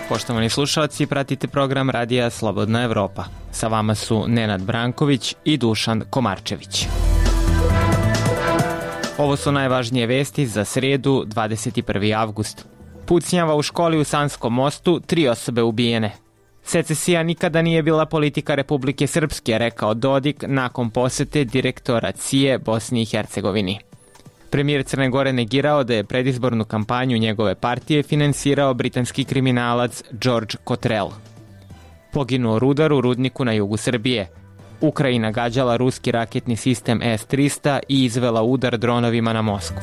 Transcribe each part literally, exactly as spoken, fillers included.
Poštovani slušalci, pratite program Radija Slobodna Evropa. Sa vama su Nenad Branković i Dušan Komarčević. Ovo su najvažnije vesti za srijedu, dvadeset prvi avgust. Pucnjava u školi u Sanskom mostu, tri osobe ubijene. Secesija nikada nije bila politika Republike Srpske, rekao Dodik nakon posete direktora C I E Bosni i Hercegovini. Premijer Crne Gore negirao da je predizbornu kampanju njegove partije finansirao britanski kriminalac George Cottrell. Poginuo rudar u rudniku na jugu Srbije. Ukrajina gađala ruski raketni sistem S trista i izvela udar dronovima na Moskvu.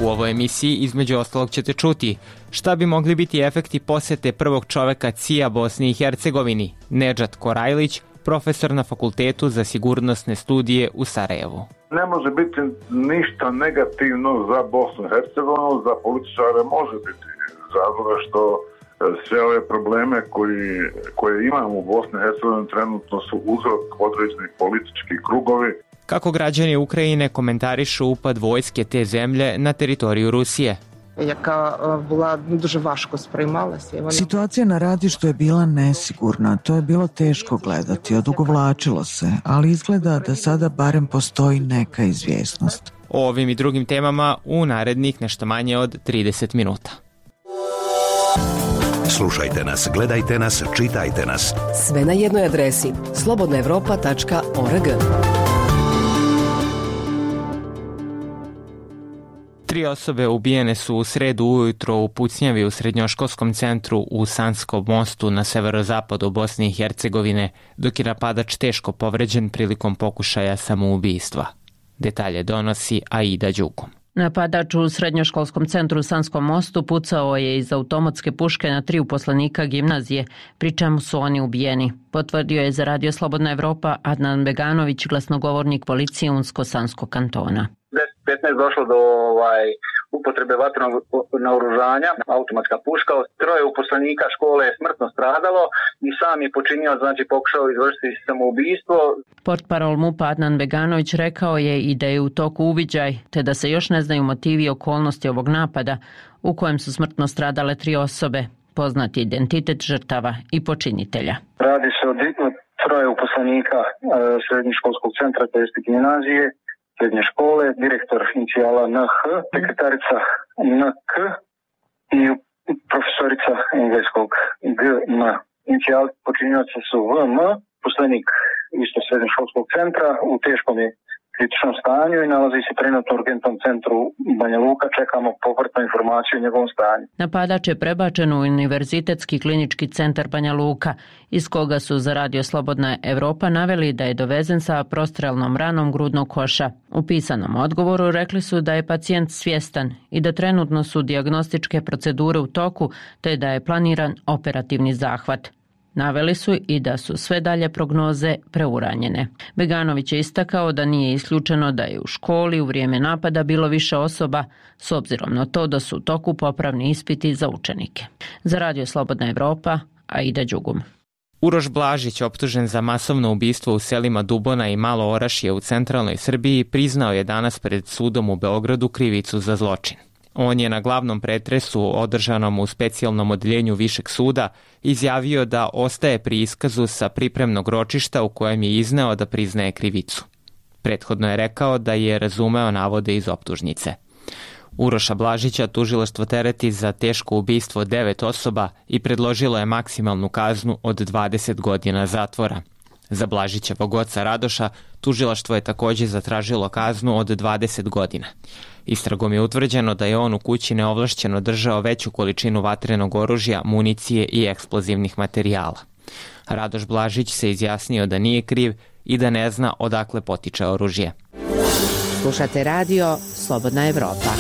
U ovoj emisiji između ostalog ćete čuti šta bi mogli biti efekti posete prvog čoveka C I A Bosni i Hercegovini, Nedžad Korajlić, profesor na Fakultetu za sigurnosne studije u Sarajevu. Ne može biti ništa negativno za Bosnu i Hercegovinu, za političare može biti, zato što sve ove probleme koji, koje imamo u Bosni i Hercegovini trenutno su uzrok određenih političkih krugovi. Kako građani Ukrajine komentarišu upad vojske te zemlje na teritoriju Rusije? Яка була дуже важко сприймалася. Situacija na ratištu je bila nesigurna, to je bilo teško gledati, odugovlačilo se, ali izgleda da sada barem postoji neka izvjesnost. O ovim i drugim temama u narednih nešto manje od trideset minuta. Slušajte nas, gledajte nas, čitajte nas. Sve na jednoj adresi slobodna evropa tačka org. Tri osobe ubijene su u sredu ujutro u pucnjavi u srednjoškolskom centru u Sanskom mostu na severozapadu Bosne i Hercegovine, dok je napadač teško povređen prilikom pokušaja samoubistva. Detalje donosi Aida Đukom. Napadač u srednjoškolskom centru u Sanskom mostu pucao je iz automatske puške na tri uposlenika gimnazije, pri čemu su oni ubijeni. Potvrdio je za Radio Slobodna Evropa Adnan Beganović, glasnogovornik policije Unsko-Sanskog kantona. deset petnaest došlo do ovaj, upotrebe vatrenog naoružanja, automatska puška. Troje uposlenika škole je smrtno stradalo i sam je počinio, znači pokušao izvršiti samoubistvo. Portparol MUP-a Adnan Beganović rekao je i da je u toku uviđaj, te da se još ne znaju motivi i okolnosti ovog napada, u kojem su smrtno stradale tri osobe, poznati identitet žrtava i počinitelja. Radi se o troje uposlenika e, srednjoškolskog centra, to jest gimnazije, srednje škole, direktor inicijala N H, sekretarica N K i profesorica engleskog G M. Inicijali počinioca su V M, poslenik isto srednjoškolskog centra, u teškom je kritičnom stanju i nalazi se trenutno u urgentnom centru Banja Luka. Čekamo povratnu informaciju o njegovom stanju. Napadač je prebačen u Univerzitetski klinički centar Banja Luka, iz koga su za Radio Slobodna Evropa naveli da je dovezen sa prostrelnom ranom grudnog koša. U pisanom odgovoru rekli su da je pacijent svjestan i da trenutno su dijagnostičke procedure u toku, te da je planiran operativni zahvat. Naveli su i da su sve dalje prognoze preuranjene. Beganović je istakao da nije isključeno da je u školi u vrijeme napada bilo više osoba, s obzirom na to da su u toku popravni ispiti za učenike. Za Radio Slobodna Evropa, Aida Đugum. Uroš Blažić, optužen za masovno ubistvo u selima Dubona i Malo Orašje u centralnoj Srbiji, priznao je danas pred sudom u Beogradu krivicu za zločin. On je na glavnom pretresu održanom u specijalnom odeljenju Višeg suda izjavio da ostaje pri iskazu sa pripremnog ročišta u kojem je izneo da priznaje krivicu. Prethodno je rekao da je razumeo navode iz optužnice. Uroša Blažića tužilaštvo tereti za teško ubistvo devet osoba i predložilo je maksimalnu kaznu od dvadeset godina zatvora. Za Blažićevog oca Radoša tužilaštvo je također zatražilo kaznu od dvadeset godina. Istragom je utvrđeno da je on u kući neovlašćeno držao veću količinu vatrenog oružja, municije i eksplozivnih materijala. Radoš Blažić se izjasnio da nije kriv i da ne zna odakle potiče oružje. Slušate Radio Slobodna Evropa.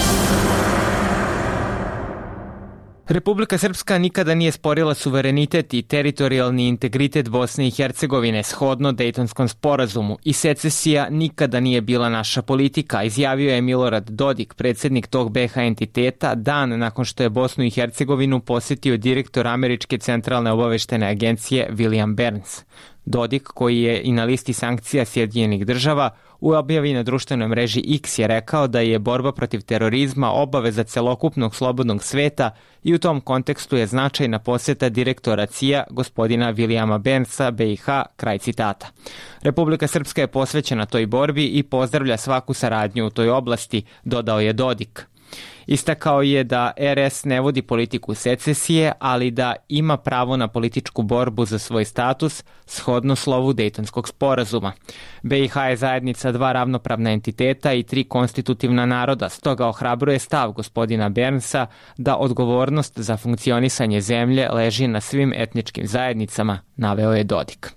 Republika Srpska nikada nije sporila suverenitet i teritorijalni integritet Bosne i Hercegovine shodno Dejtonskom sporazumu i secesija nikada nije bila naša politika, izjavio je Milorad Dodik, predsjednik tog B H entiteta, dan nakon što je Bosnu i Hercegovinu posjetio direktor Američke centralne obaveštene agencije William Burns. Dodik, koji je i na listi sankcija Sjedinjenih država, u objavi na društvenoj mreži X je rekao da je borba protiv terorizma obaveza celokupnog slobodnog sveta i u tom kontekstu je značajna posjeta direktora C I A gospodina Vilijama Bernsa B i H, kraj citata. Republika Srpska je posvećena toj borbi i pozdravlja svaku saradnju u toj oblasti, dodao je Dodik. Istakao je da R S ne vodi politiku secesije, ali da ima pravo na političku borbu za svoj status shodno slovu Dejtonskog sporazuma. B i H je zajednica dva ravnopravna entiteta i tri konstitutivna naroda, stoga ohrabruje stav gospodina Bernsa da odgovornost za funkcionisanje zemlje leži na svim etničkim zajednicama, naveo je Dodik.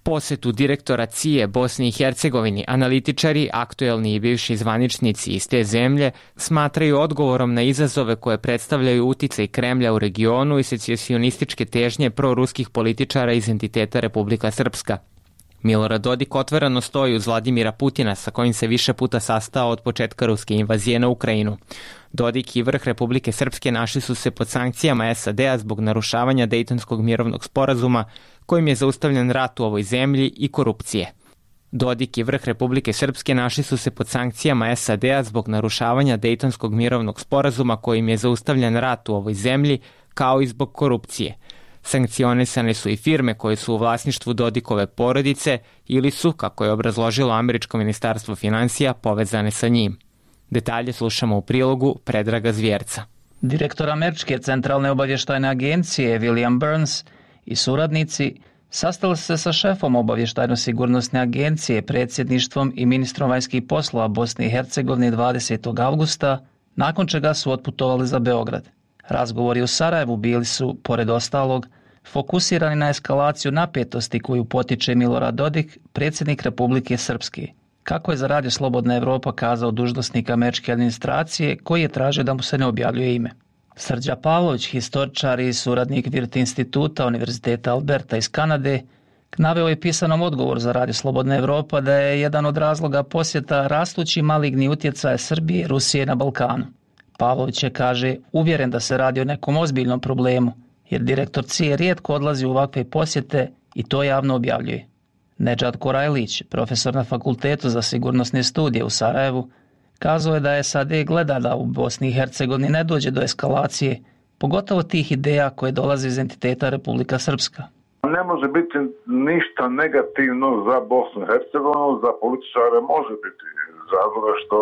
Posetu direktora C I A Bosni i Hercegovini analitičari, aktuelni i bivši zvaničnici iz te zemlje, smatraju odgovorom na izazove koje predstavljaju uticaj Kremlja u regionu i secesionističke težnje proruskih političara iz entiteta Republika Srpska. Milorad Dodik otvoreno stoji uz Vladimira Putina, sa kojim se više puta sastao od početka ruske invazije na Ukrajinu. Dodik i vrh Republike Srpske našli su se pod sankcijama S A D-a zbog narušavanja Dejtonskog mirovnog sporazuma, kojim je zaustavljen rat u ovoj zemlji i korupcije. Dodik i vrh Republike Srpske našli su se pod sankcijama S A D-a zbog narušavanja Dejtonskog mirovnog sporazuma, kojim je zaustavljen rat u ovoj zemlji, kao i zbog korupcije. Sankcionisane su i firme koje su u vlasništvu Dodikove porodice ili su, kako je obrazložilo američko ministarstvo financija, povezane sa njim. Detalje slušamo u prilogu Predraga Zvjerca. Direktor Američke centralne obavještajne agencije William Burns i suradnici sastali se sa šefom obavještajno-sigurnosne agencije, predsjedništvom i ministrom vanjskih poslova Bosne i Hercegovine dvadesetog avgusta, nakon čega su otputovali za Beograd. Razgovori u Sarajevu bili su, pored ostalog, fokusirani na eskalaciju napetosti koju potiče Milorad Dodik, predsjednik Republike Srpske, kako je za Radio Slobodna Evropa kazao dužnosnik američke administracije, koji je tražio da mu se ne objavljuje ime. Srđa Pavlović, historičar i suradnik Virt instituta Univerziteta Alberta iz Kanade, naveo je pisanom odgovor za Radio Slobodna Evropa da je jedan od razloga posjeta rastući maligni utjecaj Srbije i Rusije na Balkanu. Pavlović je, kaže, uvjeren da se radi o nekom ozbiljnom problemu, jer direktor C I A rijetko odlazi u ovakve posjete i to javno objavljuje. Nedžad Korajlić, profesor na Fakultetu za sigurnosne studije u Sarajevu, kazao je da S A D gleda da u Bosni i Hercegovini ne dođe do eskalacije, pogotovo tih ideja koje dolaze iz entiteta Republika Srpska. Ne može biti ništa negativno za Bosnu i Hercegovinu, za političare može biti, zato što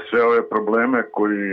sve ove probleme koji,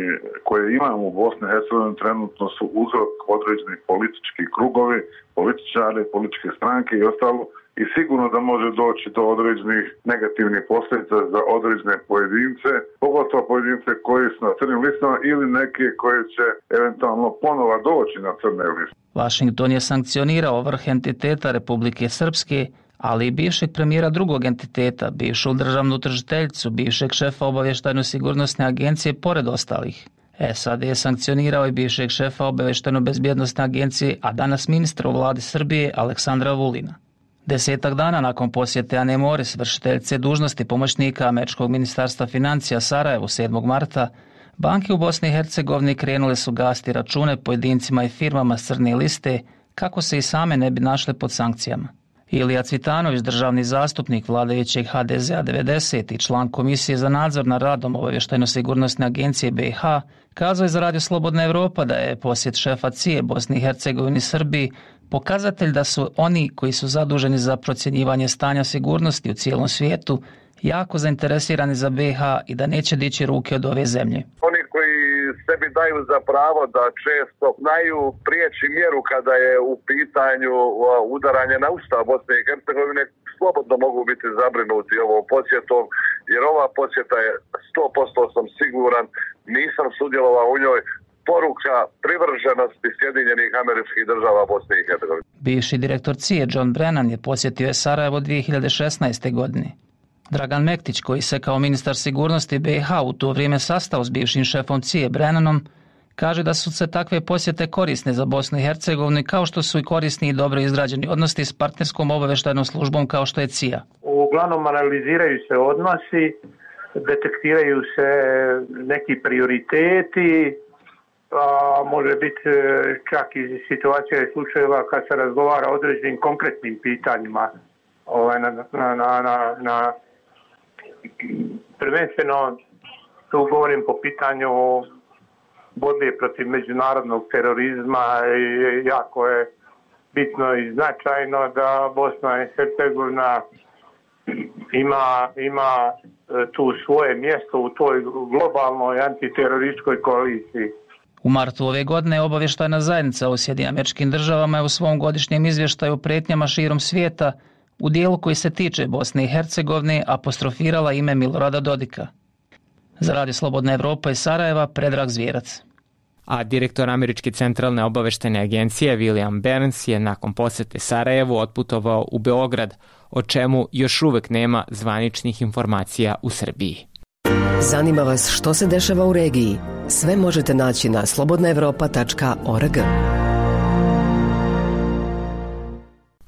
koje imamo u Bosni i Hercegovini trenutno su uzrok određenih političkih krugovi, političari, političke stranke i ostalo, i sigurno da može doći do određenih negativnih posljedica za određene pojedince, pogotovo pojedince koji su na crnim listama ili neke koje će eventualno ponova doći na crne liste. Washington je sankcionirao vrh entiteta Republike Srpske, ali i bivšeg premijera drugog entiteta, bivšu državnu tužiteljicu, bivšeg šefa obavještajno-sigurnosne agencije, pored ostalih. S A D je sankcionirao i bivšeg šefa obavještajno-bezbjednosne agencije, a danas ministra u vladi Srbije Aleksandra Vulina. Desetak dana nakon posjete Ane Moris, vršiteljice dužnosti pomoćnika američkog ministarstva financija Sarajevu sedmog marta, banke u Bosni i Hercegovini krenule su gasiti račune pojedincima i firmama s crne liste, kako se i same ne bi našle pod sankcijama. Ilija Cvitanović, državni zastupnik vladajućeg H D Z-a devedeset i član Komisije za nadzor nad radom obavještajno-sigurnosne agencije B i H, kazao je za Radio Slobodna Evropa da je posjet šefa C I A Bosni i Hercegovini i Srbiji pokazatelj da su oni koji su zaduženi za procjenjivanje stanja sigurnosti u cijelom svijetu jako zainteresirani za B i H i da neće dići ruke od ove zemlje. Oni koji sebi daju za pravo da često znaju prijeći mjeru kada je u pitanju udaranje na ustav Bosne i Hercegovine, slobodno mogu biti zabrinuti ovom posjetom, jer ova posjeta je sto posto sam siguran, nisam sudjelovao u njoj, poruka privrženosti Sjedinjenih Američkih Država Bosne i Hercegovine. Bivši direktor C I A John Brennan je posjetio je Sarajevo dvije hiljade šesnaeste. godine. Dragan Mektić, koji se kao ministar sigurnosti B i H u to vrijeme sastao s bivšim šefom C I A Brennanom, kaže da su se takve posjete korisne za Bosnu i Hercegovinu, kao što su i korisni i dobro izrađeni odnosi s partnerskom obavještajnom službom kao što je C I A. Uglavnom analiziraju se odnosi, detektiraju se neki prioriteti, a može biti čak i situacija i slučajeva kad se razgovara o određenim konkretnim pitanjima. Ovaj, na, na, na, na, na, prvenstveno tu govorim po pitanju borbe protiv međunarodnog terorizma i jako je bitno i značajno da Bosna i Hercegovina ima, ima tu svoje mjesto u toj globalnoj antiterorističkoj koaliciji. U martu ove godine obavještajna zajednica u Sjedinjenim Američkim Državama je u svom godišnjem izvještaju o prijetnjama širom svijeta u dijelu koji se tiče Bosne i Hercegovine apostrofirala ime Milorada Dodika. Za Radio Slobodna Evropa iz Sarajeva, Predrag Zvijerac. A direktor Američke centralne obavještajne agencije William Burns je nakon posjete Sarajevu otputovao u Beograd, o čemu još uvek nema zvaničnih informacija u Srbiji. Zanima vas što se dešava u regiji? Sve možete naći na slobodna evropa tačka org.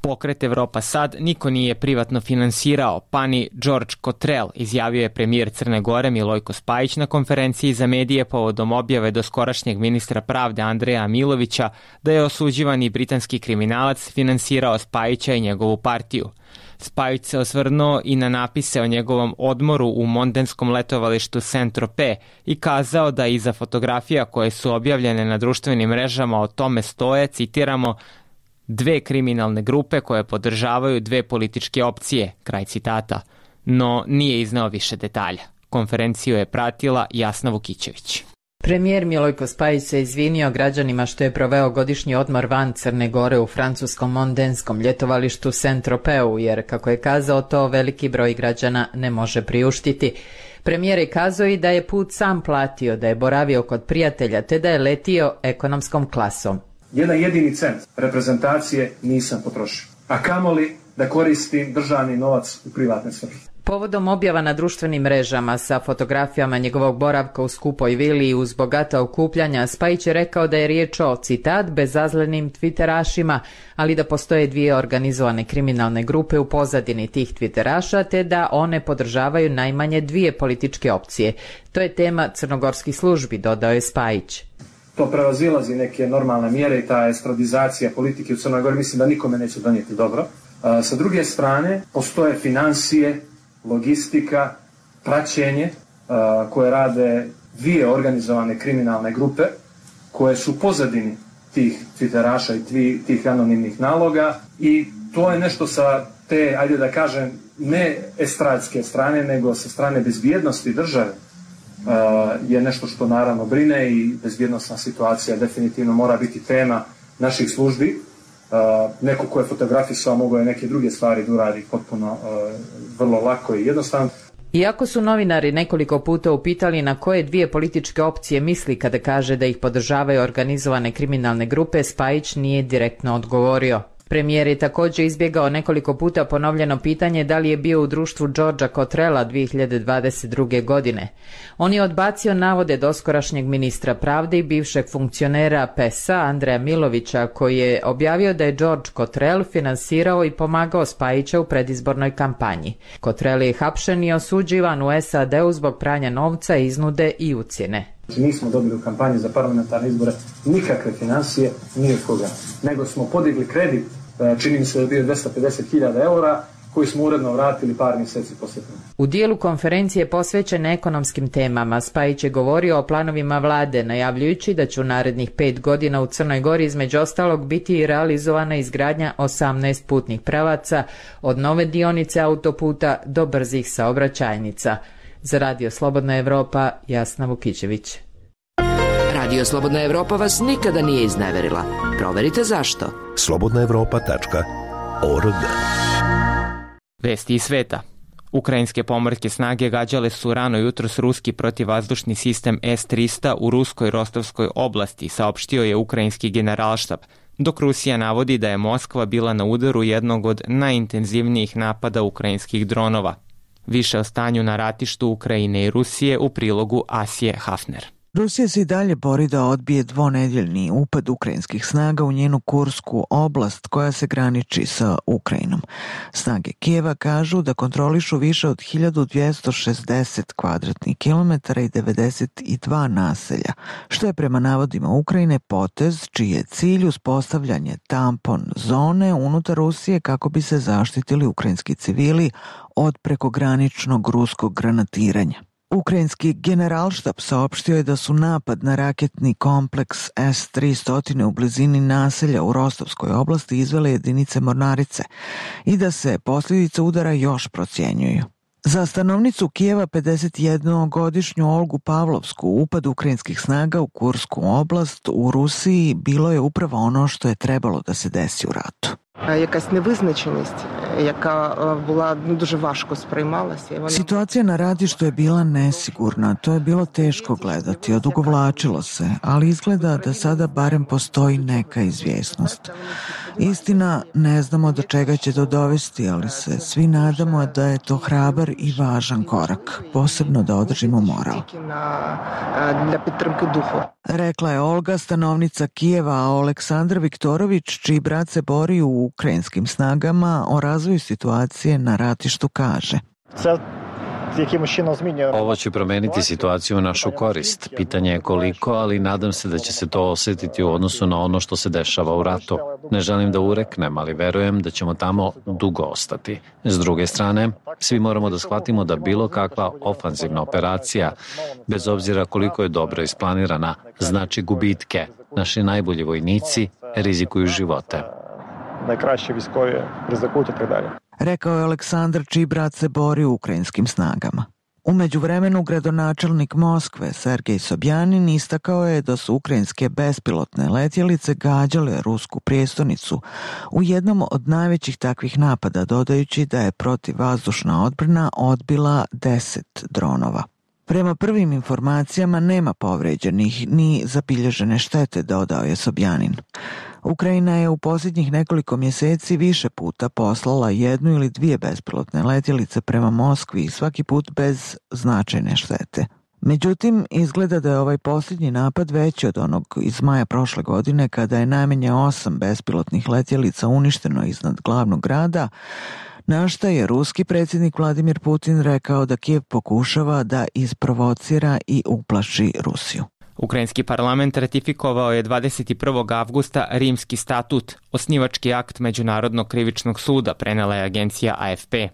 Pokret Evropa sad niko nije privatno finansirao, pa ni George Cottrell, izjavio je premijer Crne Gore Milojko Spajić na konferenciji za medije povodom objave doskorašnjeg ministra pravde Andreja Milovića da je osuđivani britanski kriminalac finansirao Spajića i njegovu partiju. Spajić se osvrnuo i na napise o njegovom odmoru u mondenskom letovalištu Saint-Tropez i kazao da iza fotografija koje su objavljene na društvenim mrežama o tome stoje, citiramo, dve kriminalne grupe koje podržavaju dve političke opcije, kraj citata, no nije izneo više detalja. Konferenciju je pratila Jasna Vukićević. Premijer Milojko Spajić se izvinio građanima što je proveo godišnji odmor van Crne Gore u francuskom mondenskom ljetovalištu Saint-Tropeu, jer, kako je kazao, to veliki broj građana ne može priuštiti. Premijer je kazao i da je put sam platio, da je boravio kod prijatelja, te da je letio ekonomskom klasom. Jedan jedini cent reprezentacije nisam potrošio, a kamoli da koristim državni novac u privatne svrhe. Povodom objava na društvenim mrežama sa fotografijama njegovog boravka u skupoj vili uz bogata okupljanja, Spajić je rekao da je riječ o, citat, bezazlenim twitterašima, ali da postoje dvije organizovane kriminalne grupe u pozadini tih twitteraša, te da one podržavaju najmanje dvije političke opcije. To je tema crnogorskih službi, dodao je Spajić. To prevazilazi neke normalne mjere i ta estradizacija politike u Crnoj Gori mislim da nikome neće donijeti dobro. A, sa druge strane, postoje financije, logistika, praćenje a, koje rade dvije organizovane kriminalne grupe koje su pozadini tih twitteraša i tvi, tih anonimnih naloga i to je nešto sa te, ajde da kažem, ne estradske strane, nego sa strane bezbjednosti države. Uh, je nešto što naravno brine i bezbjednosna situacija definitivno mora biti tema naših službi. Uh, neko ko je fotografisao mogao je neke druge stvari da uradi potpuno uh, vrlo lako i jednostavno. Iako su novinari nekoliko puta upitali na koje dvije političke opcije misli kada kaže da ih podržavaju organizovane kriminalne grupe, Spajić nije direktno odgovorio. Premijer je također izbjegao nekoliko puta ponovljeno pitanje da li je bio u društvu Georgea Cottrella dvije hiljade dvadeset druge. godine. On je odbacio navode doskorašnjeg ministra pravde i bivšeg funkcionera P E S-a Andreja Milovića, koji je objavio da je George Cottrell finansirao i pomagao Spajića u predizbornoj kampanji. Cottrell je hapšen i osuđivan u S A D-u zbog pranja novca, iznude i ucjene. Nismo dobili u kampanji za parlamentarne izbore nikakve financije, ni od koga. Nego smo podigli kredit, čini mi se da je bio dvjesto pedeset hiljada eura, koji smo uredno vratili par mjeseci poslije. U dijelu konferencije posvećene ekonomskim temama, Spajić je govorio o planovima vlade, najavljujući da će u narednih pet godina u Crnoj Gori između ostalog biti i realizovana izgradnja osamnaest putnih pravaca, od nove dionice autoputa do brzih saobraćajnica. Za Radio Slobodna Evropa, Jasna Vukićević. Radio Slobodna Evropa vas nikada nije izneverila. Proverite zašto. slobodna evropa tačka org. Vesti iz sveta. Ukrajinske pomorske snage gađale su rano jutros ruski protivvazdušni sistem S trista u ruskoj Rostovskoj oblasti, saopštio je ukrajinski generalštab, dok Rusija navodi da je Moskva bila na udaru jednog od najintenzivnijih napada ukrajinskih dronova. Više o stanju na ratištu Ukrajine i Rusije u prilogu Asije Hafner. Rusija se i dalje bori da odbije dvonedeljni upad ukrajinskih snaga u njenu Kursku oblast koja se graniči sa Ukrajinom. Snage Kijeva kažu da kontrolišu više od hiljadu dvjesto šezdeset kvadratnih kilometara i devedeset dva naselja, što je prema navodima Ukrajine potez čiji je cilj uspostavljanje tampon zone unutar Rusije kako bi se zaštitili ukrajinski civili od prekograničnog ruskog granatiranja. Ukrajinski generalštab saopštio je da su napad na raketni kompleks S tristo u blizini naselja u Rostovskoj oblasti izvele jedinice mornarice i da se posljedice udara još procjenjuju. Za stanovnicu Kijeva pedesetjednogodišnju Olgu Pavlovsku upad ukrajinskih snaga u Kursku oblast u Rusiji bilo je upravo ono što je trebalo da se desi u ratu. Якась невизначеність, яка була дуже важко сприймалася. Situacija na ratištu je bila nesigurna, to je bilo teško gledati, odugovlačilo se, ali izgleda da sada barem postoji neka izvjesnost. Istina, ne znamo do čega će to dovesti, ali se svi nadamo da je to hrabar i važan korak, posebno da održimo moral. Rekla je Olga, stanovnica Kijeva, a Aleksandar Viktorović, čiji brat se bori u ukrajinskim snagama, o razvoju situacije na ratištu kaže: Ovo će promeniti situaciju u našu korist. Pitanje je koliko, ali nadam se da će se to osjetiti u odnosu na ono što se dešava u ratu. Ne želim da ureknem, ali verujem da ćemo tamo dugo ostati. S druge strane, svi moramo da shvatimo da bilo kakva ofanzivna operacija, bez obzira koliko je dobro isplanirana, znači gubitke. Naši najbolji vojnici rizikuju živote. Najkraće viskovi rizikuju i tako dalje. Rekao je Aleksandar, čiji brat se bori u ukrajinskim snagama. U međuvremenu gradonačelnik Moskve Sergej Sobjanin istakao je da su ukrajinske bespilotne letjelice gađale rusku prijestolnicu u jednom od najvećih takvih napada, dodajući da je protivvazdušna odbrana odbila deset dronova. Prema prvim informacijama nema povređenih ni zabilježene štete, dodao je Sobjanin. Ukrajina je u posljednjih nekoliko mjeseci više puta poslala jednu ili dvije bespilotne letjelice prema Moskvi i svaki put bez značajne štete. Međutim, izgleda da je ovaj posljednji napad veći od onog iz maja prošle godine kada je najmanje osam bespilotnih letjelica uništeno iznad glavnog grada, na šta je ruski predsjednik Vladimir Putin rekao da Kijev pokušava da isprovocira i uplaši Rusiju. Ukrajinski parlament ratifikovao je dvadeset prvog avgusta Rimski statut, osnivački akt Međunarodnog krivičnog suda, prenela je agencija A F P.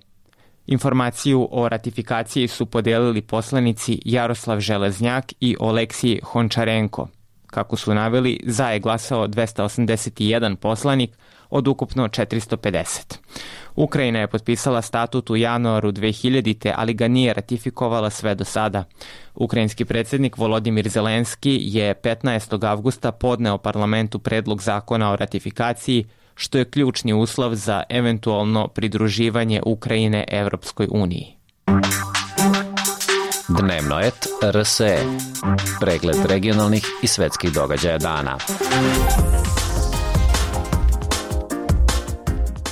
Informaciju o ratifikaciji su podijelili poslanici Jaroslav Železnjak i Oleksij Hončarenko. Kako su naveli, za je glasao dvesta osamdeset jedan poslanik od ukupno četiristo pedeset. Ukrajina je potpisala statut u januaru dve hiljadite, ali ga nije ratifikovala sve do sada. Ukrajinski predsjednik Volodimir Zelenski je petnaestog avgusta podneo parlamentu predlog zakona o ratifikaciji, što je ključni uslov za eventualno pridruživanje Ukrajine Evropskoj uniji. Dnevno et R S E. Pregled regionalnih i svetskih događaja dana.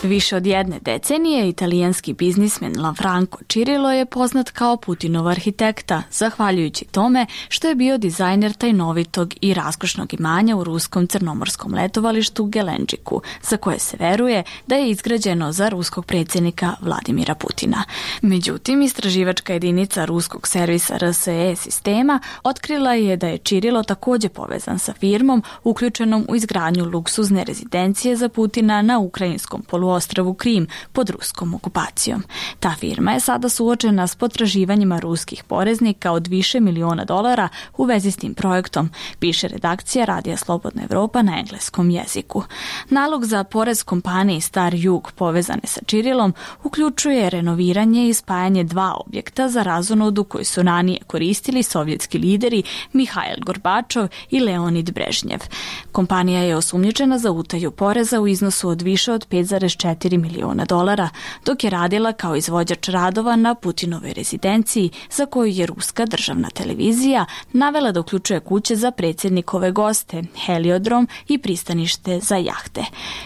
Više od jedne decenije italijanski biznismen Lanfranco Cirillo je poznat kao Putinov arhitekta, zahvaljujući tome što je bio dizajner tajnovitog i raskošnog imanja u ruskom crnomorskom letovalištu Gelenđiku, za koje se veruje da je izgrađeno za ruskog predsjednika Vladimira Putina. Međutim, istraživačka jedinica ruskog servisa R S E sistema otkrila je da je Cirillo također povezan sa firmom uključenom u izgradnju luksuzne rezidencije za Putina na ukrajinskom poluostrvu ostrvu Krim pod ruskom okupacijom. Ta firma je sada suočena s potraživanjima ruskih poreznika od više miliona dolara u vezi s tim projektom, piše redakcija Radija Slobodna Evropa na engleskom jeziku. Nalog za porez kompaniji Star Jug povezane sa Cirillom uključuje renoviranje i spajanje dva objekta za razonodu koji su ranije koristili sovjetski lideri Mihail Gorbačov i Leonid Brežnjev. Kompanija je osumnjičena za utaju poreza u iznosu od više od pet zarez četiri miliona dolara, dok je radila kao izvođač radova na Putinovoj rezidenciji, za koju je ruska državna televizija navela da uključuje kuće za predsjednikove goste, heliodrom i pristanište za jahte.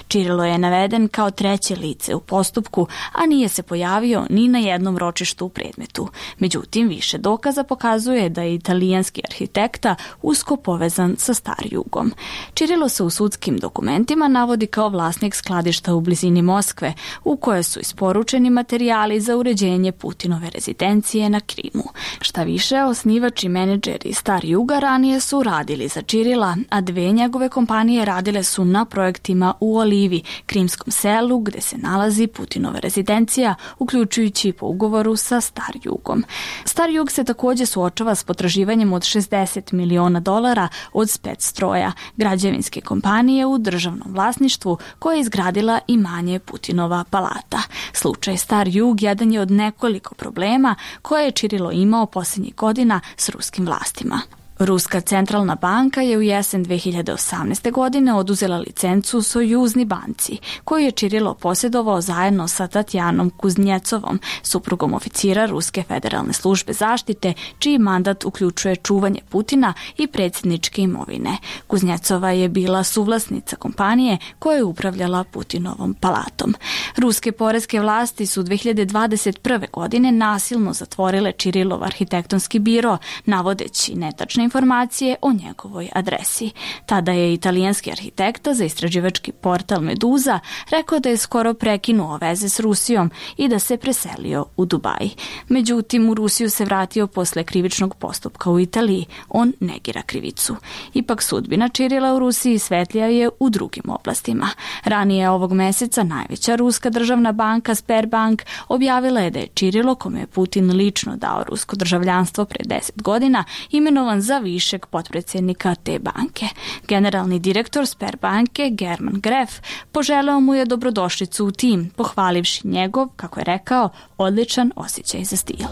Čirilo je naveden kao treće lice u postupku, a nije se pojavio ni na jednom ročištu u predmetu. Međutim, više dokaza pokazuje da je italijanski arhitekta usko povezan sa Star-Jugom. Čirilo se u sudskim dokumentima navodi kao vlasnik skladišta u blizini Moskve, u koje su isporučeni materijali za uređenje Putinove rezidencije na Krimu. Šta više, osnivač i menadžeri Star-Juga ranije su radili za Čirila, a dve njegove kompanije radile su na projektima u Olivi, krimskom selu gde se nalazi Putinova rezidencija, uključujući po ugovoru sa Star-Jugom. Star-Jug se također suočava s potraživanjem od šezdeset miliona dolara od Spectroja, građevinske kompanije u državnom vlasništvu koja je izgradila imanje Putinova palata. Slučaj Star-Jug jedan je od nekoliko problema koje je Čirilo imao posljednjih godina s ruskim vlastima. Ruska centralna banka je u jesen dve hiljade osamnaeste. godine oduzela licencu Sojuzni banci, koju je Čirilo posjedovao zajedno sa Tatjanom Kuznjecovom, suprugom oficira Ruske federalne službe zaštite, čiji mandat uključuje čuvanje Putina i predsjedničke imovine. Kuznjecova je bila suvlasnica kompanije koja je upravljala Putinovom palatom. Ruske poreske vlasti su dve hiljade dvadeset prve. godine nasilno zatvorile Čirilov arhitektonski biro, navodeći netačne informacije o njegovoj adresi. Tada je italijanski arhitekta za istraživački portal Meduza rekao da je skoro prekinuo veze s Rusijom i da se preselio u Dubaj. Međutim, u Rusiju se vratio posle krivičnog postupka u Italiji. On negira krivicu. Ipak sudbina Čirila u Rusiji svetlija je u drugim oblastima. Ranije ovog meseca najveća ruska državna banka Sberbank objavila je da je Čirilo, kome je Putin lično dao rusko državljanstvo pre deset godina, imenovan za višeg potpredsjednika te banke. Generalni direktor Sberbanke German Gref poželeo mu je dobrodošlicu u tim, pohvalivši njegov, kako je rekao, odličan osjećaj za stil.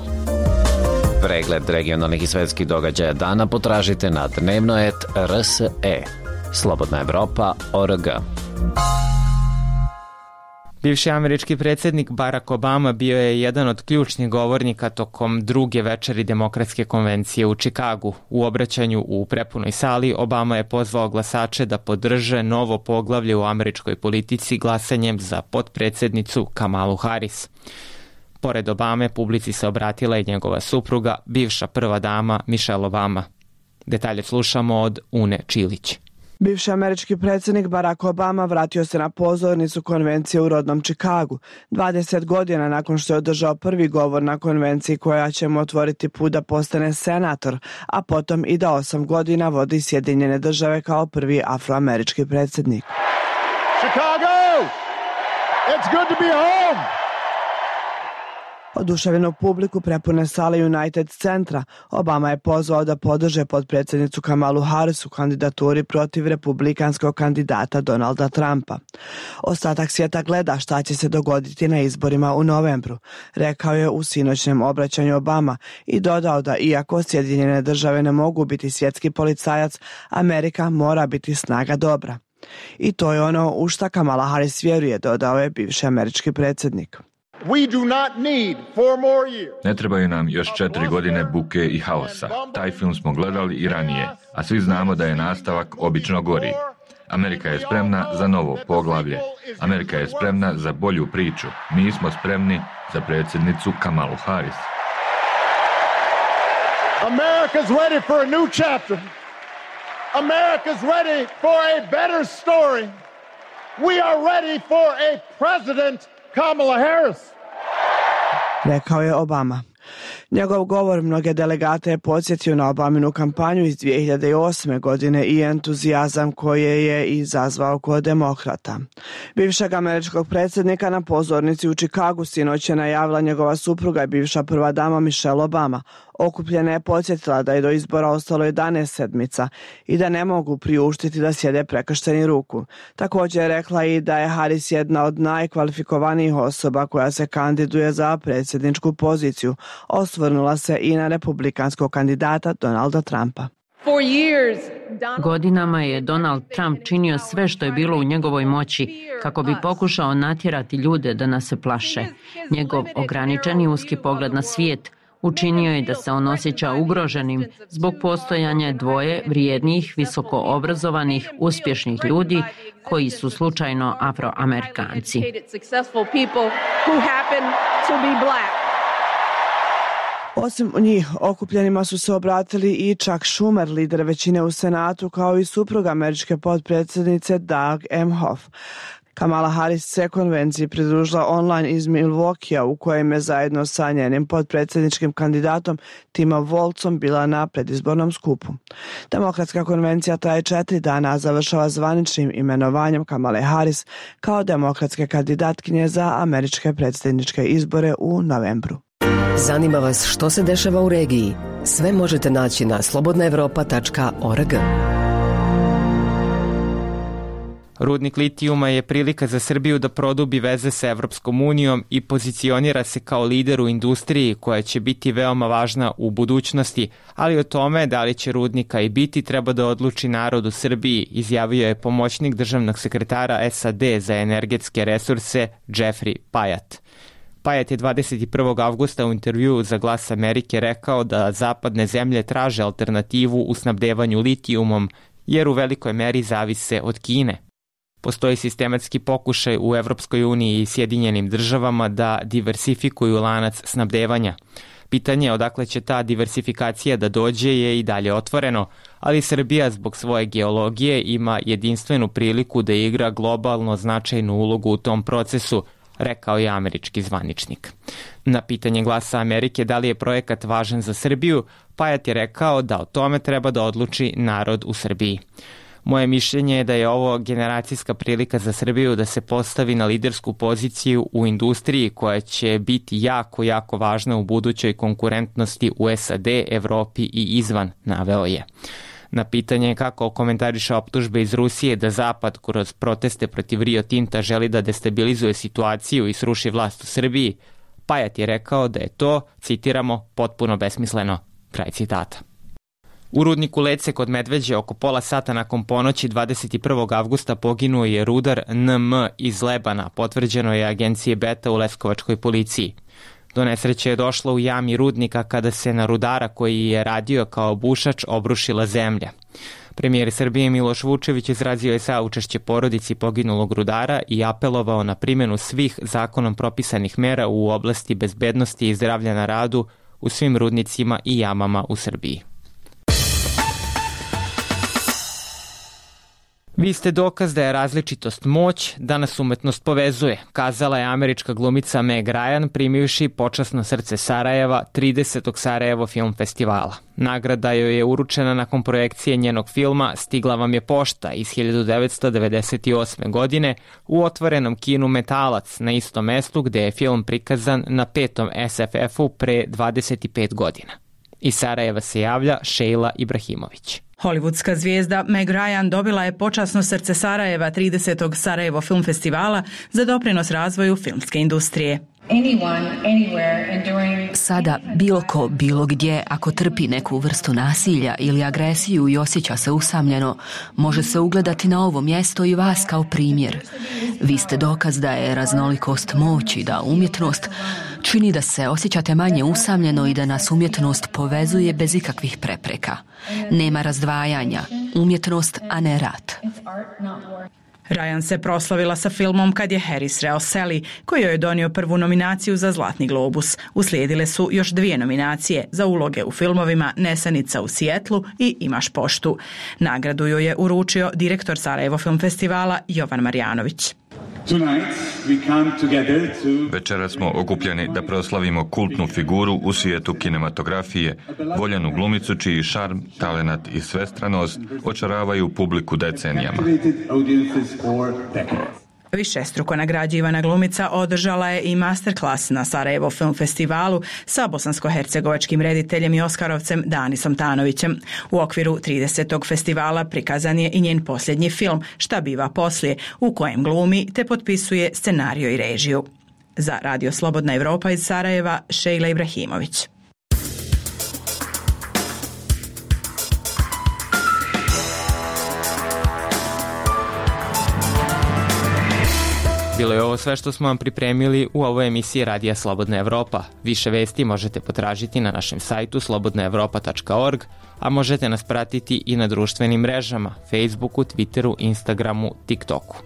Pregled regionalnih i svetskih događaja dana potražite na dnevnoet R S E. Slobodna Evropa точка O R G. Bivši američki predsjednik Barack Obama bio je jedan od ključnih govornika tokom druge večeri Demokratske konvencije u Čikagu. U obraćanju u prepunoj sali Obama je pozvao glasače da podrže novo poglavlje u američkoj politici glasanjem za potpredsjednicu Kamalu Harris. Pored Obame, publici se obratila i njegova supruga, bivša prva dama Michelle Obama. Detalje slušamo od Une Čilić. Bivši američki predsjednik Barack Obama vratio se na pozornicu konvencije u rodnom Čikagu, dvadeset godina nakon što je održao prvi govor na konvenciji koja će mu otvoriti put da postane senator, a potom i da osam godina vodi Sjedinjene države kao prvi afroamerički predsjednik. Chicago! It's good to be home! Oduševljenu publiku prepune sale United Centra, Obama je pozvao da podrže potpredsjednicu Kamalu Harris u kandidaturi protiv republikanskog kandidata Donalda Trumpa. Ostatak svijeta gleda šta će se dogoditi na izborima u novembru, rekao je u sinoćnem obraćanju Obama i dodao da iako Sjedinjene države ne mogu biti svjetski policajac, Amerika mora biti snaga dobra. I to je ono u šta Kamala Harris vjeruje, dodao je bivši američki predsjednik. Ne trebaju nam još četiri godine buke i haosa. Taj film smo gledali i ranije, a svi znamo da je nastavak obično gori. Amerika je spremna za novo poglavlje. Amerika je spremna za bolju priču. Mi smo spremni za predsjednicu Kamalu Harris. America's ready for a new chapter. America's ready for a better story. We are ready for a president Kamala Harris, rekao je Obama. Njegov govor mnoge delegate je podsjetio na Obaminu kampanju iz dvije hiljade osme. godine i entuzijazam koje je izazvao kod demokrata. Bivšeg američkog predsjednika na pozornici u Čikagu sinoć je najavila njegova supruga i bivša prva dama Michelle Obama. Okupljena je podsjetila da je do izbora ostalo jedanaest sedmica i da ne mogu priuštiti da sjede prekršteni ruku. Također je rekla i da je Harris jedna od najkvalifikovanijih osoba koja se kandiduje za predsjedničku poziciju. Osvrnula se i na republikanskog kandidata Donalda Trumpa. For years, Godinama je Donald Trump činio sve što je bilo u njegovoj moći kako bi pokušao natjerati ljude da nas se plaše. Njegov ograničeni uski pogled na svijet učinio je da se on osjeća ugroženim zbog postojanja dvoje vrijednih, visoko obrazovanih, uspješnih ljudi koji su slučajno Afroamerikanci. Osim njih, okupljenima su se obratili i Chuck Schumer, lider većine u Senatu, kao i suprug američke potpredsjednice Doug Emhoff. Kamala Harris se konvenciji pridružila online iz Milwaukeea, u kojem je zajedno sa njenim potpredsjedničkim kandidatom Timom Wolzom bila na predizbornom skupu. Demokratska konvencija traje četiri dana, a završava zvaničnim imenovanjem Kamale Harris kao demokratske kandidatkinje za američke predsjedničke izbore u novembru. Zanima vas što se dešava u regiji? Sve možete naći na slobodna evropa tačka org. Rudnik litijuma je prilika za Srbiju da produbi veze sa Evropskom unijom i pozicionira se kao lider u industriji koja će biti veoma važna u budućnosti, ali o tome da li će rudnika i biti treba da odluči narod u Srbiji, izjavio je pomoćnik državnog sekretara S A D za energetske resurse Jeffrey Payat. Payat je dvadeset prvog avgusta u intervjuu za Glas Amerike rekao da zapadne zemlje traže alternativu u snabdevanju litijumom jer u velikoj meri zavise od Kine. Postoji sistematski pokušaj u Evropskoj uniji i Sjedinjenim državama da diversifikuju lanac snabdevanja. Pitanje odakle će ta diversifikacija da dođe je i dalje otvoreno, ali Srbija zbog svoje geologije ima jedinstvenu priliku da igra globalno značajnu ulogu u tom procesu, rekao je američki zvaničnik. Na pitanje Glasa Amerike da li je projekat važan za Srbiju, Payat je rekao da o tome treba da odluči narod u Srbiji. Moje mišljenje je da je ovo generacijska prilika za Srbiju da se postavi na lidersku poziciju u industriji koja će biti jako, jako važna u budućoj konkurentnosti u S A D, Evropi i izvan, naveo je. Na pitanje kako komentariše optužbe iz Rusije da Zapad kroz proteste protiv Rio Tinta želi da destabilizuje situaciju i sruši vlast u Srbiji, Payat je rekao da je to, citiramo, potpuno besmisleno. Kraj citata. U rudniku Lece kod Medveđe oko pola sata nakon ponoći dvadeset prvog avgusta poginuo je rudar N M iz Lebana, potvrđeno je agencije Beta u leskovačkoj policiji. Do nesreće je došlo u jami rudnika kada se na rudara koji je radio kao bušač obrušila zemlja. Premijer Srbije Miloš Vučević izrazio je saučešće porodici poginulog rudara i apelovao na primjenu svih zakonom propisanih mera u oblasti bezbednosti i zdravlja na radu u svim rudnicima i jamama u Srbiji. Vi ste dokaz da je različitost moć, da nas umetnost povezuje, kazala je američka glumica Meg Ryan primivši počasno srce Sarajeva tridesetog Sarajevo film festivala. Nagrada joj je uručena nakon projekcije njenog filma Stigla vam je pošta iz hiljadu devetsto devedeset osme. godine u otvorenom kinu Metalac na istom mestu gde je film prikazan na petom S F F-u pre dvadeset pet godina. Iz Sarajeva se javlja Šejla Ibrahimović. Hollywoodska zvijezda Meg Ryan dobila je počasno srce Sarajeva tridesetog Sarajevo film festivala za doprinos razvoju filmske industrije. Sada bilo ko, bilo gdje, ako trpi neku vrstu nasilja ili agresiju i osjeća se usamljeno, može se ugledati na ovo mjesto i vas kao primjer. Vi ste dokaz da je raznolikost moći, da umjetnost čini da se osjećate manje usamljeno i da nas umjetnost povezuje bez ikakvih prepreka. Nema razdvajanja, umjetnost, a ne rat. Ryan se proslavila sa filmom kad je Harry sreo Sally, koji joj je donio prvu nominaciju za Zlatni globus. Uslijedile su još dvije nominacije za uloge u filmovima Nesanica u Sijetlu i Imaš poštu. Nagradu joj je uručio direktor Sarajevo film festivala Jovan Marjanović. Večera smo okupljeni da proslavimo kultnu figuru u svijetu kinematografije, voljenu glumicu čiji šarm, talenat i svestranost očaravaju publiku decenijama. Višestruko nagrađivana glumica održala je i masterclass na Sarajevo film festivalu sa bosansko-hercegovačkim rediteljem i oskarovcem Danisom Tanovićem. U okviru tridesetog festivala prikazan je i njen posljednji film Šta biva poslije, u kojem glumi te potpisuje scenario i režiju. Za Radio Slobodna Evropa iz Sarajeva, Šejla Ibrahimović. Bilo je ovo sve što smo vam pripremili u ovoj emisiji Radija Slobodna Evropa. Više vesti možete potražiti na našem sajtu slobodna evropa tačka org, a možete nas pratiti i na društvenim mrežama, Facebooku, Twitteru, Instagramu, TikToku.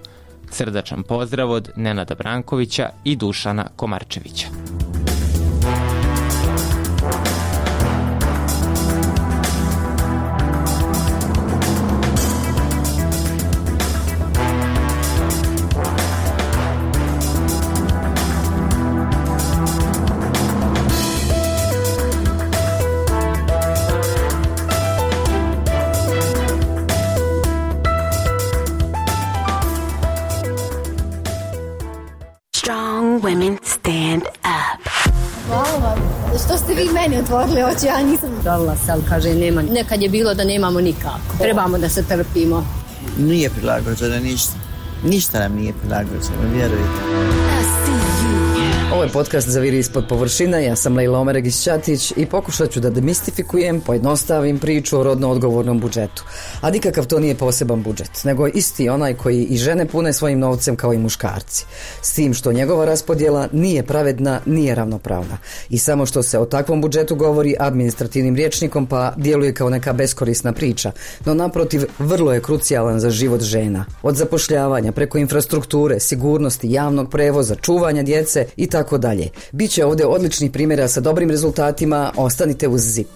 Srdačan pozdrav od Nenada Brankovića i Dušana Komarčevića. Women stand up. Hvala vam. Što ste vi meni otvorili oči, ja nisam dala se, ali kaže nema. Nekad je bilo da nemamo nikako. Trebamo da se trpimo. Nije prilagođeno ništa. Ništa nam nije prilagođeno, vjerujte. Ovo je podcast Zaviri ispod površina, ja sam Lejla Omeregić-Ćatić i pokušat ću da demistifikujem, pojednostavim priču o rodno odgovornom budžetu. A nikakav to nije poseban budžet, nego isti onaj koji i žene pune svojim novcem kao i muškarci. S tim što njegova raspodjela nije pravedna, nije ravnopravna. I samo što se o takvom budžetu govori administrativnim rječnikom pa djeluje kao neka beskorisna priča, no naprotiv vrlo je krucijalan za život žena. Od zapošljavanja preko infrastrukture, sigurnosti, javnog prevoza, čuvanja djece i tako dalje. Biće ovdje odličnih primjera sa dobrim rezultatima, ostanite uz zip.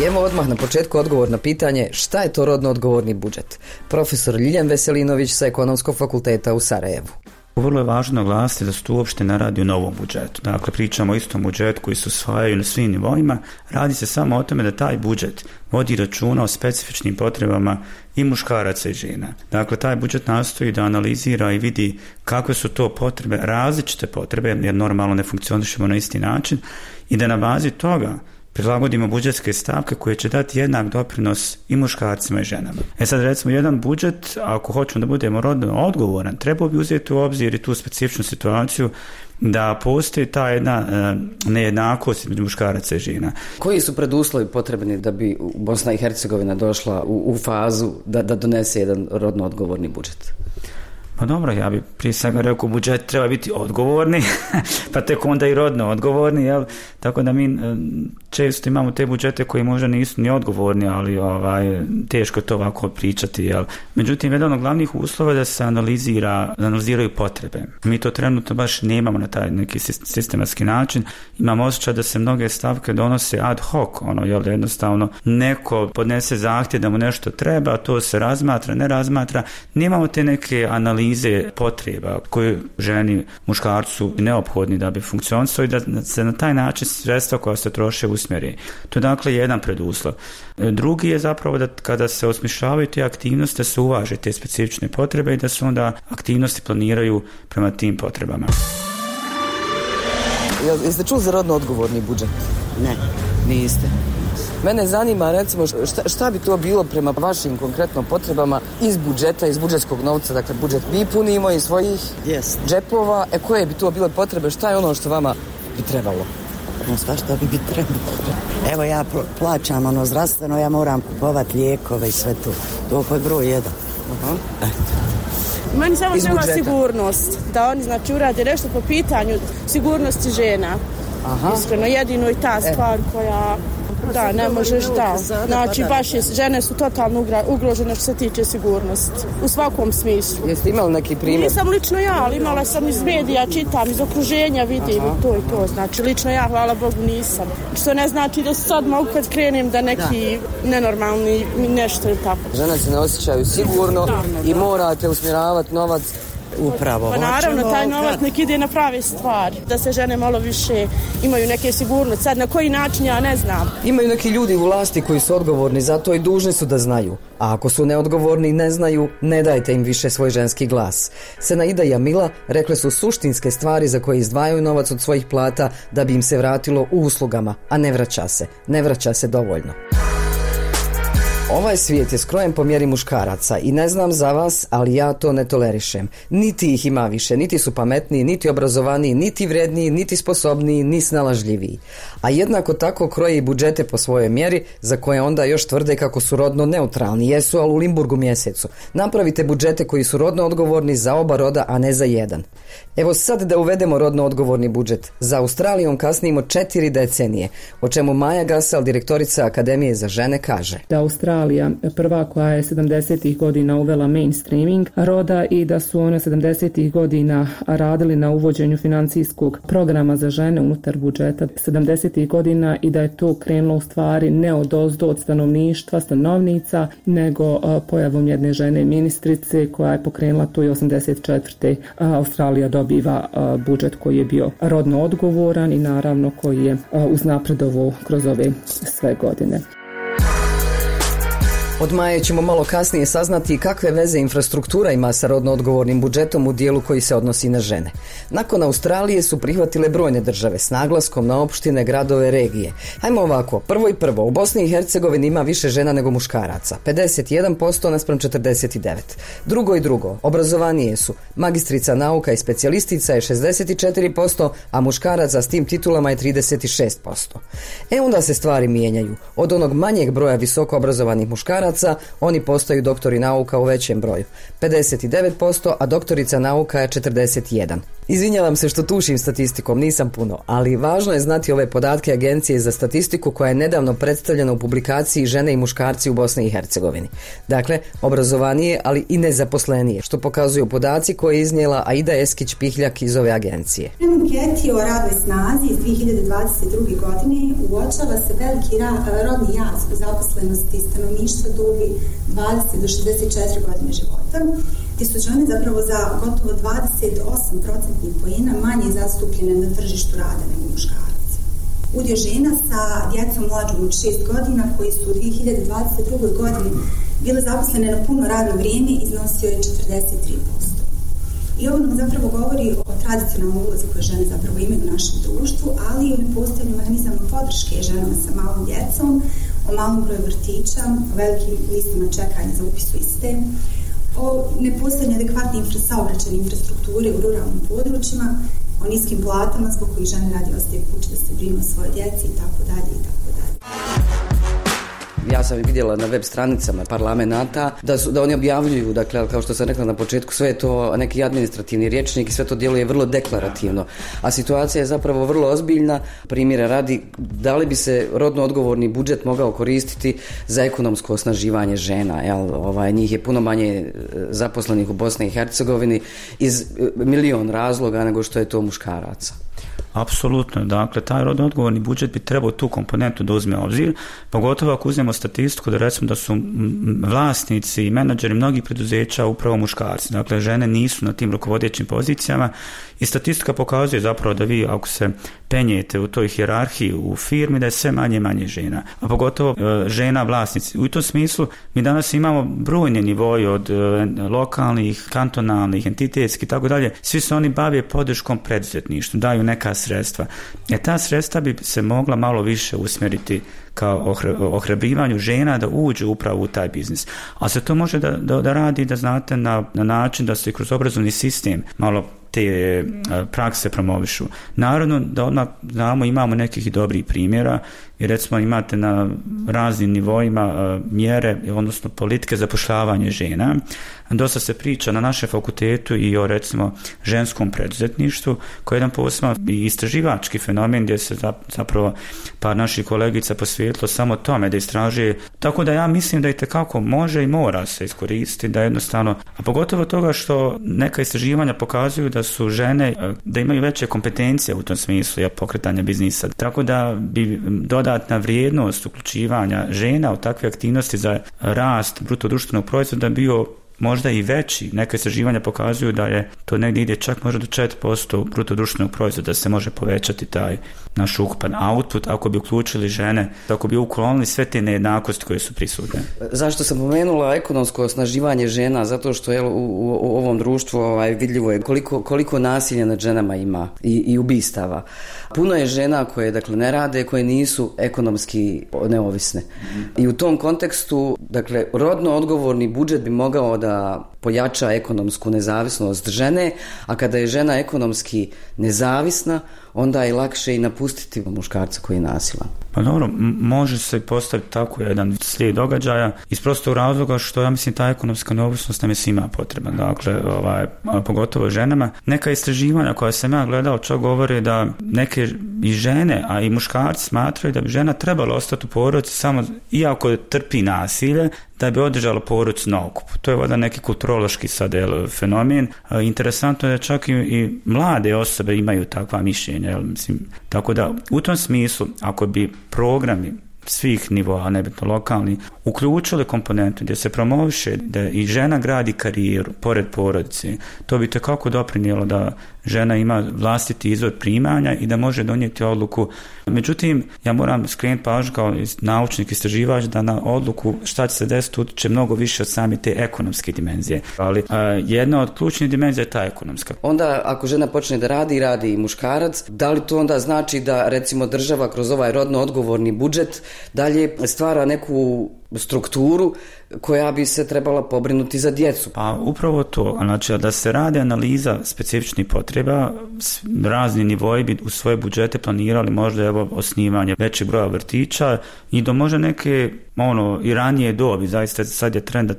Evo odmah na početku odgovor na pitanje šta je to rodno odgovorni budžet. Profesor Ljiljan Veselinović sa Ekonomskog fakulteta u Sarajevu. Vrlo je važno naglasiti da se tu uopšte ne radi o novom budžetu. Dakle, pričamo o istom budžetu koji se usvajaju na svim nivoima. Radi se samo o tome da taj budžet vodi računa o specifičnim potrebama i muškaraca i žena. Dakle, taj budžet nastoji da analizira i vidi kakve su to potrebe, različite potrebe, jer normalno ne funkcionišemo na isti način, i da na bazi toga prilagodimo budžetske stavke koje će dati jednak doprinos i muškarcima i ženama. E sad, recimo, jedan budžet, ako hoćemo da budemo rodno odgovoran, treba bi uzeti u obzir i tu specifičnu situaciju da postoji ta jedna e, nejednakost između muškaraca i žena. Koji su preduslovi potrebni da bi Bosna i Hercegovina došla u, u fazu da, da donese jedan rodno odgovorni budžet? Pa dobro, ja bi prije svega rekao budžet treba biti odgovorni, pa tek onda i rodno odgovorni, jel? Tako da mi često imamo te budžete koji možda nisu ni odgovorni, ali ovaj, teško je to ovako pričati, jel? Međutim, jedan od glavnih uslova je da se analizira, analiziraju potrebe. Mi to trenutno baš nemamo na taj neki sistematski način. Imamo osjećaj da se mnoge stavke donose ad hoc, ono, jel, jednostavno neko podnese zahtjev da mu nešto treba, to se razmatra, ne razmatra. Nemamo te neke analize potreba koje ženi, muškarcu neophodni da bi funkcionisao i da se na taj način sredstva koja se troše usmjeri. To je dakle jedan preduslov. Drugi je zapravo da kada se osmišljavaju te aktivnosti da se uvaže te specifične potrebe i da se onda aktivnosti planiraju prema tim potrebama. Jeste čuli za rodno odgovorni budžet? Ne, niste. Mene zanima, recimo, šta, šta bi to bilo prema vašim konkretno potrebama iz budžeta, iz budžetskog novca, dakle budžet mi punimo iz svojih yes. džepova, e koje bi to bile potrebe, šta je ono što vama bi trebalo? No, sva što bi bi trebalo. Evo ja plaćam ono zdravstveno, ja moram kupovati lijekove i sve to. To je broj jedan. Uh-huh. Eto. Meni samo treba sigurnost, da oni znači urade nešto po pitanju sigurnosti žena. Aha. Iskreno, jedino i ta stvar e. koja... Da, ne možeš, da. Znači, baš je, žene su totalno ugrožene što se tiče sigurnosti. U svakom smislu. Jeste imali neki primjer? Nisam lično ja, ali imala sam iz medija, čitam, iz okruženja vidim. Aha. To i to. Znači, lično ja, hvala Bogu, nisam. Što ne znači da sad mogu kad krenem da neki da. nenormalni nešto je tako. Žene se ne osjećaju sigurno da. i morate usmjeravati novac. Upravo. Pa naravno, taj novac nek ide na prave stvari, da se žene malo više imaju neke sigurnosti. Sad na koji način ja ne znam. Imaju neki ljudi u vlasti koji su odgovorni za to i dužni su da znaju. A ako su neodgovorni i ne znaju, ne dajte im više svoj ženski glas. Senaida i Jamila rekle su suštinske stvari za koje izdvajaju novac od svojih plata da bi im se vratilo u uslugama, a ne vraća se. Ne vraća se dovoljno. Ovaj svijet je skrojen po mjeri muškaraca i ne znam za vas, ali ja to ne tolerišem. Niti ih ima više, niti su pametniji, niti obrazovaniji, niti vredniji, niti sposobniji, ni snalažljiviji. A jednako tako kroje i budžete po svojoj mjeri, za koje onda još tvrde kako su rodno neutralni. Jesu, ali u Limburgu mjesecu. Napravite budžete koji su rodno odgovorni za oba roda, a ne za jedan. Evo sad da uvedemo rodno odgovorni budžet. Za Australijom kasnimo četiri decenije, o čemu Maja Gasal, direktorica Akademije za žene, kaže. Da Australija prva koja je sedamdesetih godina uvela mainstreaming roda i da su one sedamdesetih godina radili na uvođenju financijskog programa za žene unutar budžeta sedamdesetih godina i da je to krenulo u stvari ne od ozdo od stanovništva, stanovnica, nego pojavom jedne žene ministrice koja je pokrenula to i osamdeset četvrte Australija dobiva budžet koji je bio rodno odgovoran i naravno koji je uznapredovao kroz ove sve godine. Od Maje ćemo malo kasnije saznati kakve veze infrastruktura ima sa rodno odgovornim budžetom u dijelu koji se odnosi na žene. Nakon Australije su prihvatile brojne države s naglaskom na opštine, gradove, regije. Hajmo ovako, prvo i prvo, u Bosni i Hercegovini ima više žena nego muškaraca, pedeset jedan posto naspram četrdeset devet. Drugo i drugo, obrazovanije su, magistrica nauka i specijalistica je šezdeset četiri posto, a muškaraca s tim titulama je trideset šest posto. E onda se stvari mijenjaju. Od onog manjeg broja visoko obrazovanih muškaraca oni postaju doktori nauka u većem broju, pedeset devet posto, a doktorica nauka je četrdeset jedan. Izvinjavam se što tušim statistikom, nisam puno, ali važno je znati ove podatke Agencije za statistiku koja je nedavno predstavljena u publikaciji Žene i muškarci u Bosni i Hercegovini. Dakle, obrazovanije, ali i nezaposlenije, što pokazuju podaci koje je iznijela Aida Eskić-Pihljak iz ove agencije. U anketi o radnoj snazi iz dvije hiljade dvadeset druge. godine uočava se veliki ra- rodni jaz u zaposlenosti stanovništva dobi dvadeset do šezdeset četiri godine života, gdje su žene zapravo za gotovo dvadeset osam procentnih poena manje zastupljene na tržištu rada nego muškarci. Udio žena sa djecom mlađom od šest godina koji su u dvije hiljade dvadeset druge. godini bile zaposlene na puno radno vrijeme iznosio je četrdeset tri posto. I ovo nam zapravo govori o tradicionalnoj ulozi koje žene zapravo imaju u našem društvu, ali i o nepostojanju mehanizama podrške ženama sa malom djecom, o malom broju vrtića, o velikim listama čekanja za upis u iste, o nepostojanju adekvatne infra, saobraćajne infrastrukture u ruralnim područjima, o niskim platama zbog kojih žene radi ostaje kući da se brinu o svoje djeci i tako dalje i tako dalje. Ja sam vidjela na web stranicama parlamenta da, su, da oni objavljuju, dakle, kao što sam rekla na početku, sve je to neki administrativni rječnik i sve to djeluje vrlo deklarativno. A situacija je zapravo vrlo ozbiljna. Primjera radi, da li bi se rodno odgovorni budžet mogao koristiti za ekonomsko osnaživanje žena? Jel? Ovaj, njih je puno manje zaposlenih u Bosni i Hercegovini iz milion razloga nego što je to muškaraca. Apsolutno, dakle, taj rodno odgovorni budžet bi trebao tu komponentu da uzme obzir, pogotovo ako uzmemo statistiku da recimo da su vlasnici i menadžeri mnogih preduzeća upravo muškarci, dakle, žene nisu na tim rukovodećim pozicijama i statistika pokazuje zapravo da vi ako se penjete u toj hijerarhiji u firmi da je sve manje i manje žena, a pogotovo e, žena vlasnici. U tom smislu mi danas imamo brojne nivoje od e, lokalnih, kantonalnih, entitetskih i tako dalje, svi se oni bave podrškom preduzetništvu, daju neka sredstva. E ta sredstva bi se mogla malo više usmjeriti kao ohrabrivanju žena da uđu upravo u taj biznis. A se to može da, da, da radi, da znate, na, na način da se kroz obrazovni sistem malo te prakse promovišu. Naravno da odmah znamo, imamo nekih dobrih primjera i recimo imate na raznim nivoima mjere, odnosno politike zapošljavanja žena. Dosta se priča na našem fakultetu i o recimo ženskom preduzetništvu, koji je jedan poseban istraživački fenomen gdje se zapravo par naših kolegica posvetilo samo tome da istražuje. Tako da ja mislim da i tekako može i mora se iskoristiti, da jednostavno, a pogotovo toga što neka istraživanja pokazuju da su žene, da imaju veće kompetencije u tom smislu pokretanja biznisa. Tako da bi dodatna vrijednost uključivanja žena u takve aktivnosti za rast bruto društvenog proizvoda bio možda i veći. Neke istraživanja pokazuju da je to negdje ide čak možda do četiri posto bruto društvenog proizvoda, da se može povećati taj naš ukupan output ako bi uključili žene, ako bi uklonili sve te nejednakosti koje su prisutne. Zašto sam pomenula ekonomsko osnaživanje žena? Zato što je u, u, u ovom društvu ovaj, vidljivo je koliko, koliko nasilja nad ženama ima i, i ubistava. Puno je žena koje dakle, ne rade, koje nisu ekonomski neovisne. I u tom kontekstu, dakle, rodno odgovorni budžet bi mogao da pojača ekonomsku nezavisnost žene, a kada je žena ekonomski nezavisna, onda je lakše i napustiti muškarca koji je nasilan. Pa dobro, m- može se postaviti tako jedan slijed događaja iz prostog razloga što ja mislim ta ekonomska neovisnost nam je svima potrebna, dakle, ovaj, pogotovo ženama. Neka istraživanja koja sam ja gledao čak govore da neke i žene, a i muškarci smatraju da bi žena trebala ostati u porodici samo iako trpi nasilje, da bi održala porodicu na okupu. To je voda neki kulturološki sad jel, fenomen. E, interesantno je da čak i, i mlade osobe imaju takva mišljenja. Jel, mislim, tako da u tom smislu, ako bi programi svih nivoa, nebitno lokalni, uključili komponentu gdje se promoviše da i žena gradi karijeru pored porodice, to bi tekako doprinijelo da žena ima vlastiti izvor primanja i da može donijeti odluku. Međutim, ja moram skrenuti pažnju kao naučnik istraživač da na odluku šta će se desiti utječe mnogo više od same te ekonomske dimenzije. Ali a, jedna od ključnih dimenzija je ta ekonomska. Onda ako žena počne da radi, radi i muškarac, da li to onda znači da recimo država kroz ovaj rodno odgovorni budžet dalje stvara neku strukturu koja bi se trebala pobrinuti za djecu? Pa upravo to, znači da se radi analiza specifičnih potreba, razni nivoji bi u svoje budžete planirali možda evo osnivanje većeg broja vrtića i do možda neke ono i ranije dobi, zaista sad je trend da,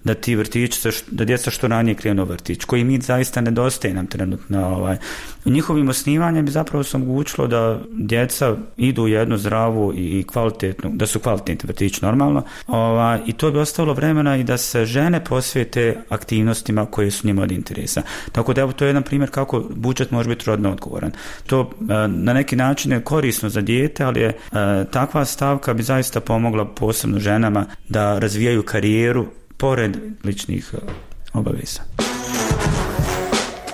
da ti vrtići, da djeca što ranije krenu vrtić, koji mi zaista nedostaje nam trenutno. Ovaj. Njihovim osnivanjem bi zapravo se omogućilo da djeca idu u jednu zdravu i kvalitetnu, da su kvalitetni vrtići normalno, ovaj, i to bi ostavilo vremena i da se žene posvijete aktivnostima koje su njima od interesa. Tako da evo to je jedan primjer kako budžet može biti rodno odgovoran. To na neki način je korisno za dijete, ali je takva stavka bi zaista pomogla posebno ženama da razvijaju karijeru pored ličnih obaveza.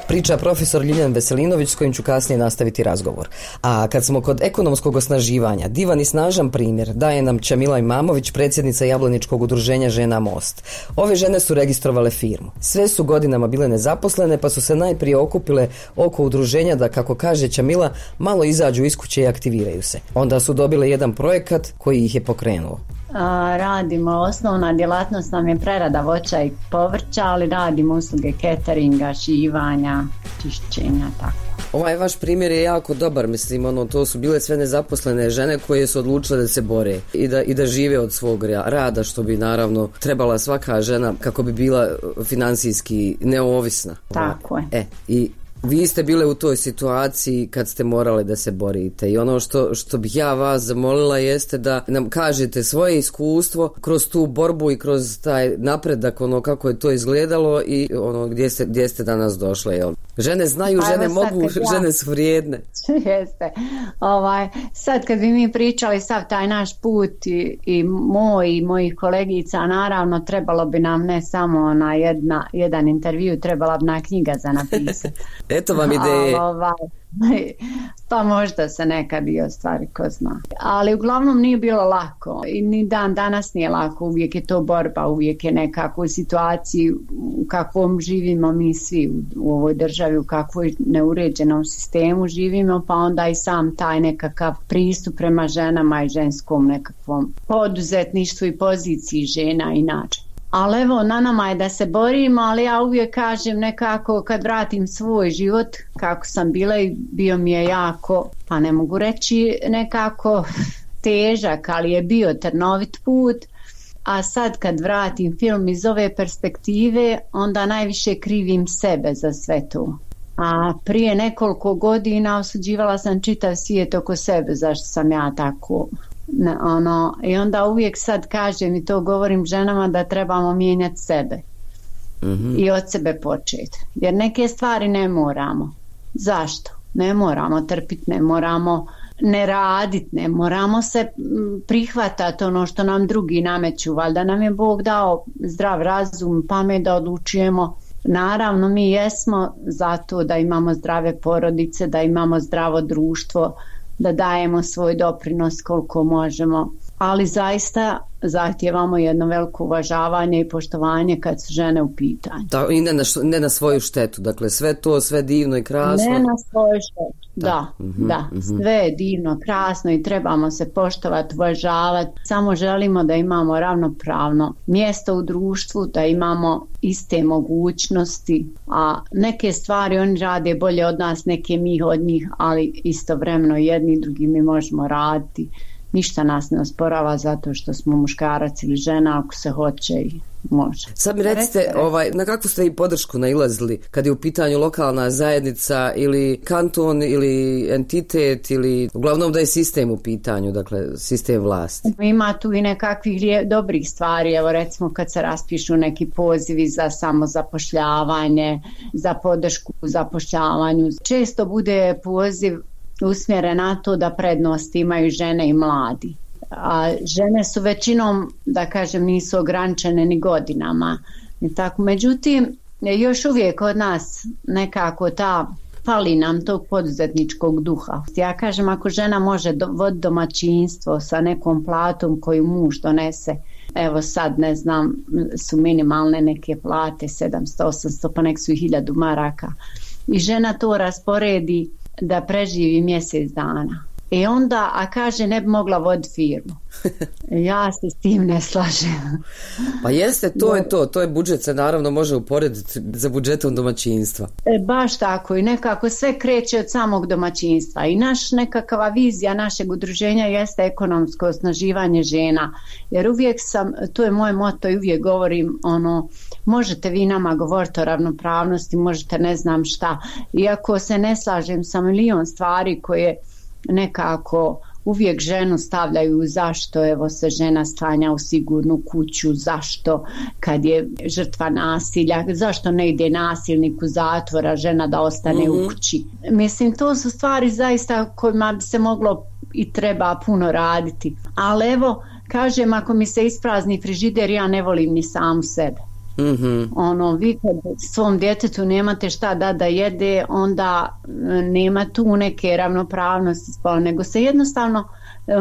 Priča profesor Ljiljan Veselinović s kojim ću kasnije nastaviti razgovor. A kad smo kod ekonomskog osnaživanja, divan i snažan primjer daje nam Čamila Imamović, predsjednica Jablaničkog udruženja Žena Most. Ove žene su registrovale firmu. Sve su godinama bile nezaposlene pa su se najprije okupile oko udruženja da, kako kaže Čamila, malo izađu iz kuće i aktiviraju se. Onda su dobile jedan projekat koji ih je pokrenuo. A, radimo, osnovna djelatnost nam je prerada voća i povrća, ali radimo usluge cateringa, šivanja, čišćenja, tako. Ovaj vaš primjer je jako dobar, mislim, ono, to su bile sve nezaposlene žene koje su odlučile da se bore i da, i da žive od svog rada, što bi naravno trebala svaka žena kako bi bila financijski neovisna. Tako je. E, i vi ste bile u toj situaciji kad ste morale da se borite i ono što, što bih ja vas zamolila jeste da nam kažete svoje iskustvo kroz tu borbu i kroz taj napredak, ono kako je to izgledalo i ono gdje ste, gdje ste danas došle. Jel? Žene znaju, pa žene mogu, ja. žene su vrijedne. Jeste. Ovaj, sad kad bi mi pričali sav taj naš put i, i moj i mojih kolegica, naravno trebalo bi nam ne samo na jedna, jedan intervju, trebala bi na knjiga za napisati. Eto vam ideje. Ovaj, pa možda se nekad i ostvari, ko zna. Ali uglavnom nije bilo lako i ni dan danas nije lako, uvijek je to borba, uvijek je nekako u situaciji u kakvom živimo mi svi u, u ovoj državi, u kakvoj neuređenom sistemu živimo, pa onda i sam taj nekakav pristup prema ženama i ženskom nekakvom poduzetništvu i poziciji žena inače. Ali evo, na nama je da se borimo, ali ja uvijek kažem nekako kad vratim svoj život, kako sam bila i bio mi je jako, pa ne mogu reći nekako težak, ali je bio trnovit put, a sad kad vratim film iz ove perspektive, onda najviše krivim sebe za sve to. A prije nekoliko godina osuđivala sam čitav svijet oko sebe, zašto sam ja tako... Ne, ono, i onda uvijek sad kažem i to govorim ženama da trebamo mijenjati sebe mm-hmm. i od sebe početi, jer neke stvari ne moramo. Zašto? Ne moramo trpiti, ne moramo ne raditi, ne moramo se prihvatati ono što nam drugi nameću, valjda nam je Bog dao zdrav razum, pamet da odlučujemo. Naravno, mi jesmo zato da imamo zdrave porodice, da imamo zdravo društvo, da dajemo svoj doprinos koliko možemo, ali zaista zahtijevamo jedno veliko uvažavanje i poštovanje kad su žene u pitanju. Da, i ne na, ne na svoju štetu, dakle sve to, sve divno i krasno. Ne na svoju štetu, da, da, mm-hmm, da. Mm-hmm. Sve je divno, krasno i trebamo se poštovati, uvažavati. Samo želimo da imamo ravnopravno mjesto u društvu, da imamo iste mogućnosti, a neke stvari oni rade bolje od nas, neke mi od njih, ali istovremeno jedni i drugi mi možemo raditi. Ništa nas ne osporava zato što smo muškarac ili žena, ako se hoće i može. Sad mi recite, ovaj, na kakvu ste i podršku nailazili kad je u pitanju lokalna zajednica ili kanton ili entitet ili uglavnom da je sistem u pitanju, dakle sistem vlasti? Ima tu i nekakvih dobrih stvari, evo recimo kad se raspišu neki pozivi za samozapošljavanje, za podršku u zapošljavanju. Često bude poziv usmjeren na to da prednost imaju žene i mladi. A žene su većinom, da kažem, nisu ograničene ni godinama. I tako. Međutim, još uvijek od nas nekako ta, fali nam tog poduzetničkog duha. Ja kažem, ako žena može voditi domaćinstvo sa nekom platom koju muž donese, evo sad ne znam, su minimalne neke plate, sedamsto, osamsto, pa nek su i hiljadu maraka. I žena to rasporedi da preživi mjesec dana. I onda, a kaže, ne bi mogla voditi firmu. Ja se s tim ne slažem. Pa jeste, to je to. To je budžet, se naravno može uporediti za budžetom domaćinstva. E, baš tako. I nekako sve kreće od samog domaćinstva. I naš nekakva vizija našeg udruženja jeste ekonomsko osnaživanje žena. Jer uvijek sam, to je moje moto i uvijek govorim, ono, možete vi nama govoriti o ravnopravnosti, možete ne znam šta. Iako se ne slažem sa milion stvari koje nekako uvijek ženu stavljaju zašto evo se žena stanja u sigurnu kuću, zašto kad je žrtva nasilja, zašto ne ide nasilnik u zatvora, žena da ostane mm-hmm. u kući. Mislim, to su stvari zaista kojima bi se moglo i treba puno raditi. Ali evo, kažem, ako mi se isprazni frižider, ja ne volim ni samu sebe. Mm-hmm. Ono, vi kad svom djetetu nemate šta da da jede, onda nema tu neke ravnopravnosti spola, nego se jednostavno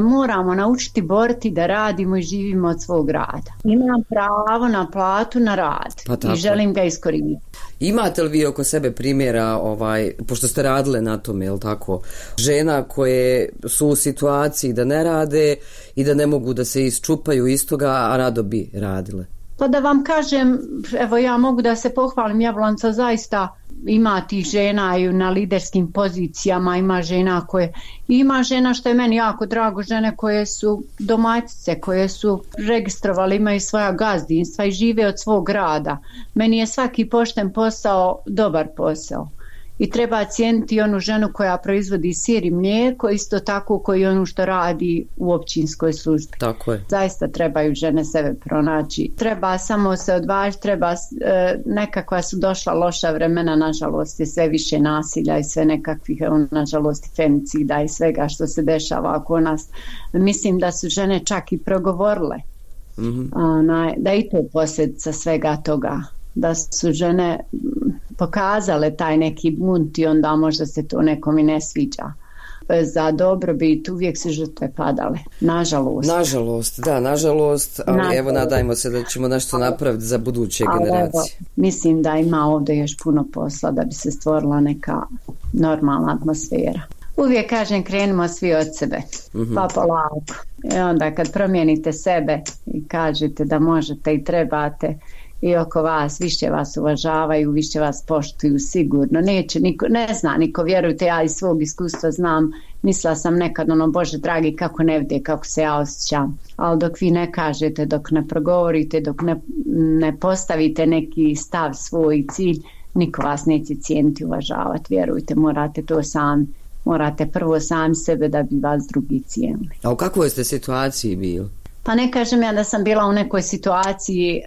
moramo naučiti boriti da radimo i živimo od svog rada. Imam pravo na platu na rad pa i želim ga iskoristiti. Imate li vi oko sebe primjera, ovaj, pošto ste radile na tome, jel tako, žena koje su u situaciji da ne rade i da ne mogu da se isčupaju iz toga, a rado bi radile? Pa da vam kažem, evo ja mogu da se pohvalim, Jablonca zaista ima tih žena i na liderskim pozicijama, ima žena koje, ima žena što je meni jako drago, žene koje su domaćice, koje su registrovali, imaju svoja gazdinstva i žive od svog rada. Meni je svaki pošten posao dobar posao. I treba cijeniti onu ženu koja proizvodi sir i mlijeko, isto tako koji onu što radi u općinskoj službi. Tako je. Zaista trebaju žene sebe pronaći. Treba samo se odvažiti, treba, e, nekakva su došla loša vremena, nažalost je sve više nasilja i sve nekakvih, nažalost, femicida i svega što se dešava oko nas. Mislim da su žene čak i progovorile. Mm-hmm. Ona, da i to posljedica svega toga. Da su žene pokazale taj neki bunt i onda možda se to nekom i ne sviđa. Za dobrobit uvijek su žrtve padale. Nažalost. Nažalost, da, nažalost, ali nažalost. Evo nadajmo se da ćemo nešto napraviti za buduće ali generacije. Evo, mislim da ima ovdje još puno posla da bi se stvorila neka normalna atmosfera. Uvijek kažem, krenimo svi od sebe, mm-hmm. pa polako. I onda kad promijenite sebe i kažete da možete i trebate, i oko vas, više vas uvažavaju, više vas poštuju sigurno. Neće niko, ne zna niko, vjerujte, ja iz svog iskustva znam, mislila sam nekad ono, Bože dragi, kako ne vide, kako se ja osjećam. Ali dok vi ne kažete, dok ne progovorite, dok ne, ne postavite neki stav, svoj cilj, niko vas neće cijeniti, uvažavati. Vjerujte, morate to sami. Morate prvo sami sebe da bi vas drugi cijenili. A u kakvoj ste situaciji bili? Pa ne kažem ja da sam bila u nekoj situaciji,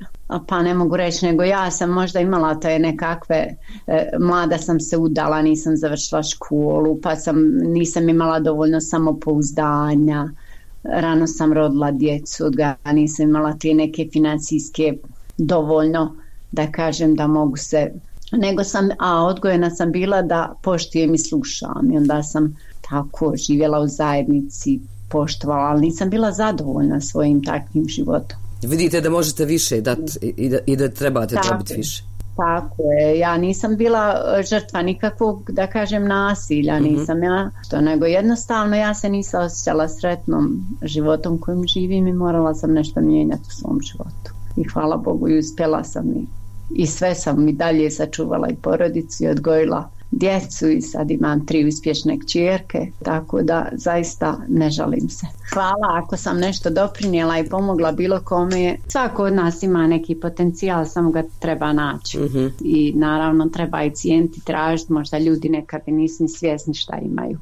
pa ne mogu reći, nego ja sam možda imala te nekakve, e, mlada sam se udala, nisam završila školu, pa sam, nisam imala dovoljno samopouzdanja, rano sam rodila djecu, odga, nisam imala te neke financijske dovoljno, da kažem da mogu se, nego sam, a odgojena sam bila da poštujem i slušam i onda sam tako živjela u zajednici, poštovala, ali nisam bila zadovoljna svojim takvim životom. Vidite da možete više dati i da, i da trebate tako, dobiti više. Tako je, ja nisam bila žrtva nikakvog, da kažem, nasilja, mm-hmm. nisam ja, to, nego jednostavno ja se nisam osjećala sretnom životom kojim živim i morala sam nešto mijenjati u svom životu. I hvala Bogu i uspjela sam i, i sve sam i dalje sačuvala i porodicu i odgojila djecu i sad imam tri uspješne kćerke, tako da zaista ne žalim se. Hvala ako sam nešto doprinijela i pomogla bilo kome. Svako od nas ima neki potencijal, samo ga treba naći. Mm-hmm. I naravno treba i cijeniti, tražiti, možda ljudi nekad nisu ni svjesni šta imaju.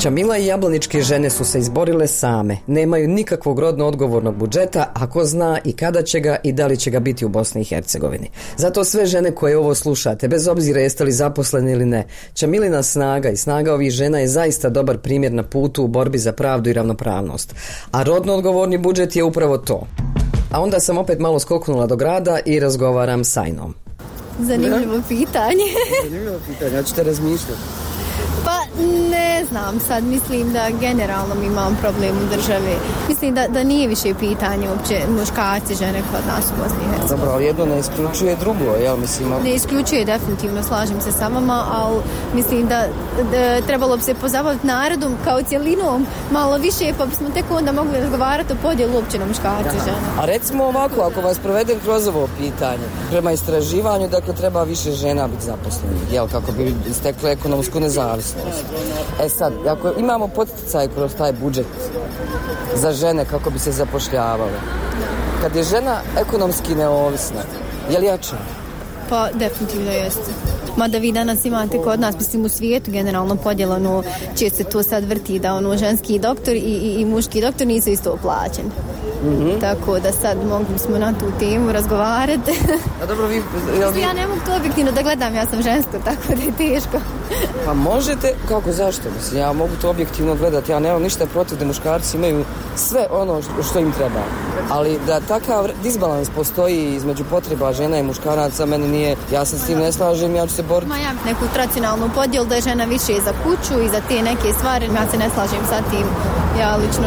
Čamila i jablaničke žene su se izborile same. Nemaju nikakvog rodno odgovornog budžeta, a ko zna i kada će ga i da li će ga biti u Bosni i Hercegovini. Zato sve žene koje ovo slušate, bez obzira jeste li zaposleni ili ne, Čamilina snaga i snaga ovih žena je zaista dobar primjer na putu u borbi za pravdu i ravnopravnost. A rodno odgovorni budžet je upravo to. A onda sam opet malo skoknula do grada i razgovaram s Ajnom. Zanimljivo pitanje. Zanimljivo pitanje, ja ću te razmišljati. Pa ne znam, sad mislim da generalno mi imam problem u državi. Mislim da, da nije više pitanje uopće muškarci, žene kod nas u Bosni i Hercegovini. Dobro, ali jedno ne isključuje drugo, jel mislim? Ali... Ne isključuje definitivno, slažem se sa vama, ali mislim da, da trebalo bi se pozabaviti narodom kao cjelinom malo više, pa bismo tek onda mogli razgovarati o podjelu uopće na muškarci i žene. A recimo ovako, ako vas provedem kroz ovo pitanje, prema istraživanju, dakle treba više žena biti zaposlenih, jel, kako bi stekle ekonomsku nezavisnost. E sad, ako imamo poticaj kroz taj budžet za žene kako bi se zapošljavale, kad je žena ekonomski neovisna, je li jača? Pa definitivno jeste. Mada vi danas imate kod nas, mislim u svijetu generalno podjelano, će se to sad vrti da ono ženski doktor i, i, i muški doktor nisu isto plaćeni. Mm-hmm. Tako da sad mogli smo na tu temu razgovarati. A dobro, vi, jel vi... Ja ne mogu to objektivno da gledam, ja sam žensko, tako da je teško. Pa možete, kako, zašto? Mislim, ja mogu to objektivno gledati, ja nemam ništa protiv da muškarci imaju sve ono što im treba. Ali da takav disbalans postoji između potreba žena i muškaraca, meni nije, ja se s tim ne slažem, ja ću se boriti. Ma ja neku tradicionalnu podjelu da je žena više za kuću i za te neke stvari, ja se ne slažem sa tim, ja lično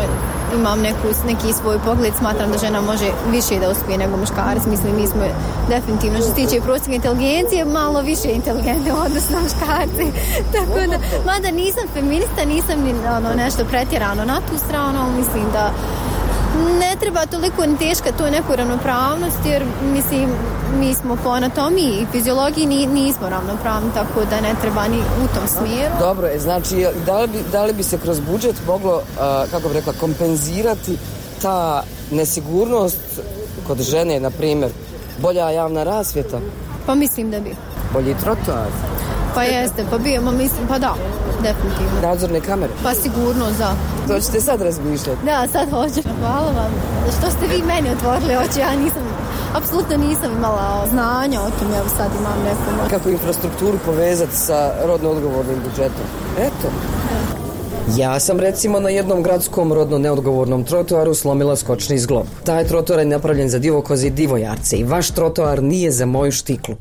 imam neku, neki svoj pogled, smatram da žena može više da uspije nego muškarac. Mislim, mi smo definitivno što se tiče prosječne inteligencije malo više inteligentne odnosno muškarci. Tako da, mada nisam feminista, nisam ni ono, nešto pretjerano na tu stranu, ali mislim da ne treba toliko ni teška to neku ravnopravnost, jer mislim mi smo po anatomiji i fiziologiji ni, nismo ravnopravni, tako da ne treba ni u tom smjeru. Dobro, znači da li bi, da li bi se kroz budžet moglo, uh, kako bih rekla, kompenzirati ta nesigurnost kod žene, na primjer, bolja javna rasvjeta? Pa mislim da bi. Bolji trotoar? Pa jeste, pa bijemo, mislim, pa da, definitivno. Nadzorne kamere? Pa sigurno, za. To ćete sad razmišljati? Da, sad hoću. Hvala vam. Što ste vi meni otvorili oči, ja nisam, apsolutno nisam imala znanja o tom, ja sad imam neku... Kako infrastrukturu povezati sa rodno odgovornim budžetom? Eto. Ja sam recimo na jednom gradskom rodno neodgovornom trotoaru slomila skočni zglob. Taj trotoar je napravljen za divokoze i divojarce i vaš trotoar nije za moju štiklu.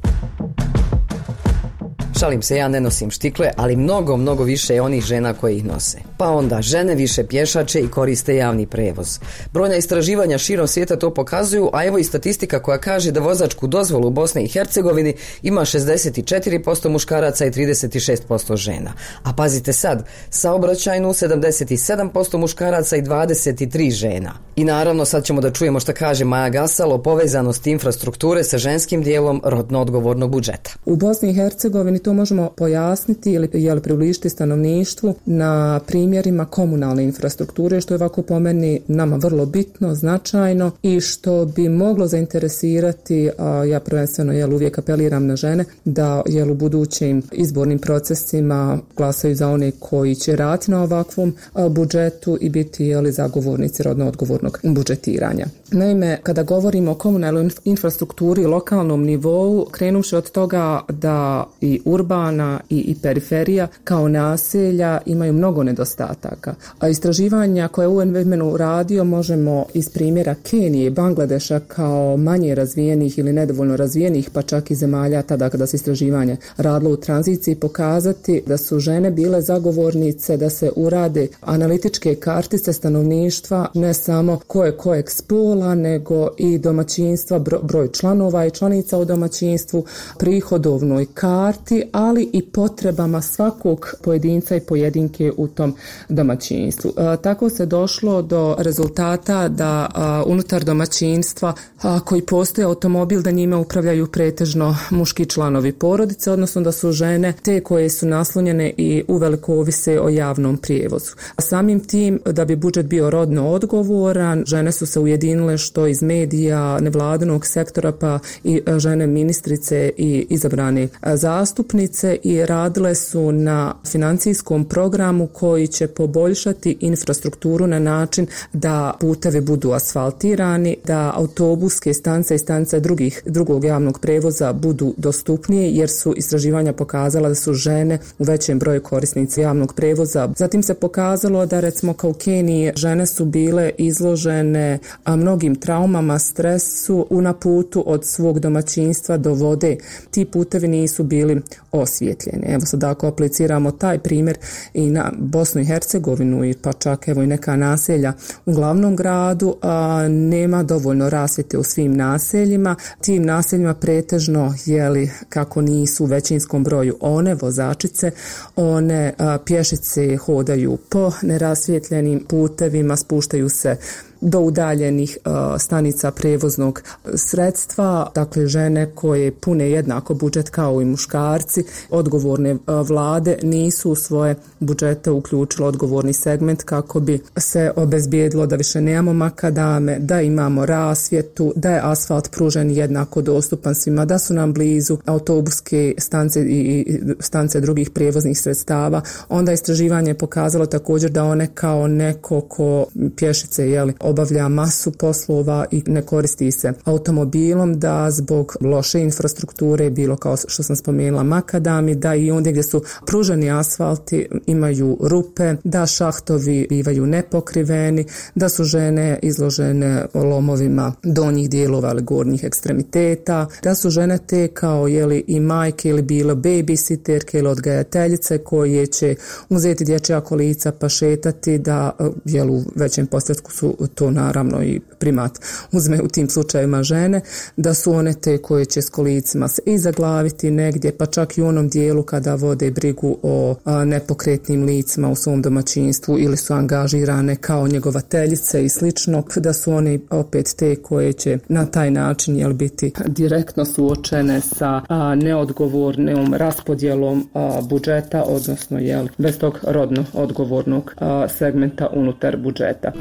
Šalim se, ja ne nosim štikle, ali mnogo, mnogo više je onih žena koje ih nose. Pa onda, žene više pješače i koriste javni prevoz. Brojna istraživanja širom svijeta to pokazuju, a evo i statistika koja kaže da vozačku dozvolu u Bosni i Hercegovini ima šezdeset četiri posto muškaraca i trideset šest posto žena. A pazite sad, saobraćajnu sedamdeset sedam posto muškaraca i dvadeset tri žena. I naravno sad ćemo da čujemo šta kaže Maja Gasal o povezanosti infrastrukture sa ženskim dijelom rodno odgovornog budžeta. U Bosni i Hercegovini to možemo pojasniti ili, ili približiti stanovništvu na primjer primjerima komunalne infrastrukture, što je ovako po meni nama vrlo bitno, značajno i što bi moglo zainteresirati, a ja prvenstveno jel, uvijek apeliram na žene, da jel, u budućim izbornim procesima glasaju za one koji će raditi na ovakvom budžetu i biti jel, zagovornici rodno odgovornog budžetiranja. Naime, kada govorimo o komunalnoj infrastrukturi i lokalnom nivou, krenuši od toga da i urbana i, i periferija kao naselja imaju mnogo nedostataka. A istraživanja koje je U N Women radio možemo iz primjera Kenije i Bangladeša kao manje razvijenih ili nedovoljno razvijenih, pa čak i zemalja tada kada se istraživanje radilo u tranziciji, pokazati da su žene bile zagovornice da se urade analitičke kartice stanovništva, ne samo ko je kojeg spola, nego i domaćinstva, broj članova i članica u domaćinstvu, prihodovnoj karti, ali i potrebama svakog pojedinca i pojedinke u tom domaćinstvu. E, tako se došlo do rezultata da a, unutar domaćinstva a, koji postoje automobil, da njime upravljaju pretežno muški članovi porodice, odnosno da su žene te koje su naslonjene i uveliko ovise o javnom prijevozu. A samim tim, da bi budžet bio rodno odgovoran, žene su se ujedinile što iz medija, nevladinog sektora, pa i žene ministrice i izabrane zastupnice, i radile su na financijskom programu koji će poboljšati infrastrukturu na način da putevi budu asfaltirani, da autobuske stanice i stanice drugih, drugog javnog prevoza budu dostupnije, jer su istraživanja pokazala da su žene u većem broju korisnici javnog prevoza. Zatim se pokazalo da recimo kao u Keniji žene su bile izložene a mnogim traumama, stresu na putu od svog domaćinstva do vode. Ti putevi nisu bili osvjetljeni. Evo sad ako apliciramo taj primjer i na Bosnu i Hercegovinu i pa čak evo i neka naselja u glavnom gradu, a, nema dovoljno rasvjete u svim naseljima. Tim naseljima pretežno jeli kako nisu u većinskom broju one vozačice, one a, pješice hodaju po nerasvjetljenim putevima, spuštaju se do udaljenih uh, stanica prevoznog sredstva. Dakle, žene koje pune jednako budžet kao i muškarci, odgovorne uh, vlade nisu u svoje budžete uključile odgovorni segment kako bi se obezbijedilo da više nemamo makadame, da imamo rasvjetu, da je asfalt pružen jednako dostupan svima, da su nam blizu autobuske stanice i stanice drugih prijevoznih sredstava. Onda istraživanje je pokazalo također da one kao neko ko pješice jeli, obavlja masu poslova i ne koristi se automobilom, da zbog loše infrastrukture, bilo kao što sam spomenula makadami, da i ondje gdje su pruženi asfalti imaju rupe, da šahtovi bivaju nepokriveni, da su žene izložene lomovima donjih dijelova ili gornjih ekstremiteta, da su žene te kao jeli i majke ili bilo babysitterke ili odgajateljice koje će uzeti dječja kolica pa šetati, da jel u većem postotku su to naravno i primat uzme u tim slučajevima žene, da su one te koje će s kolicima se i zaglaviti negdje, pa čak i u onom dijelu kada vode brigu o a, nepokretnim licima u svom domaćinstvu ili su angažirane kao njegovateljice i slično, da su one opet te koje će na taj način jel, biti direktno suočene sa a, neodgovornom raspodjelom a, budžeta, odnosno jel, bez tog rodno odgovornog a, segmenta unutar budžeta.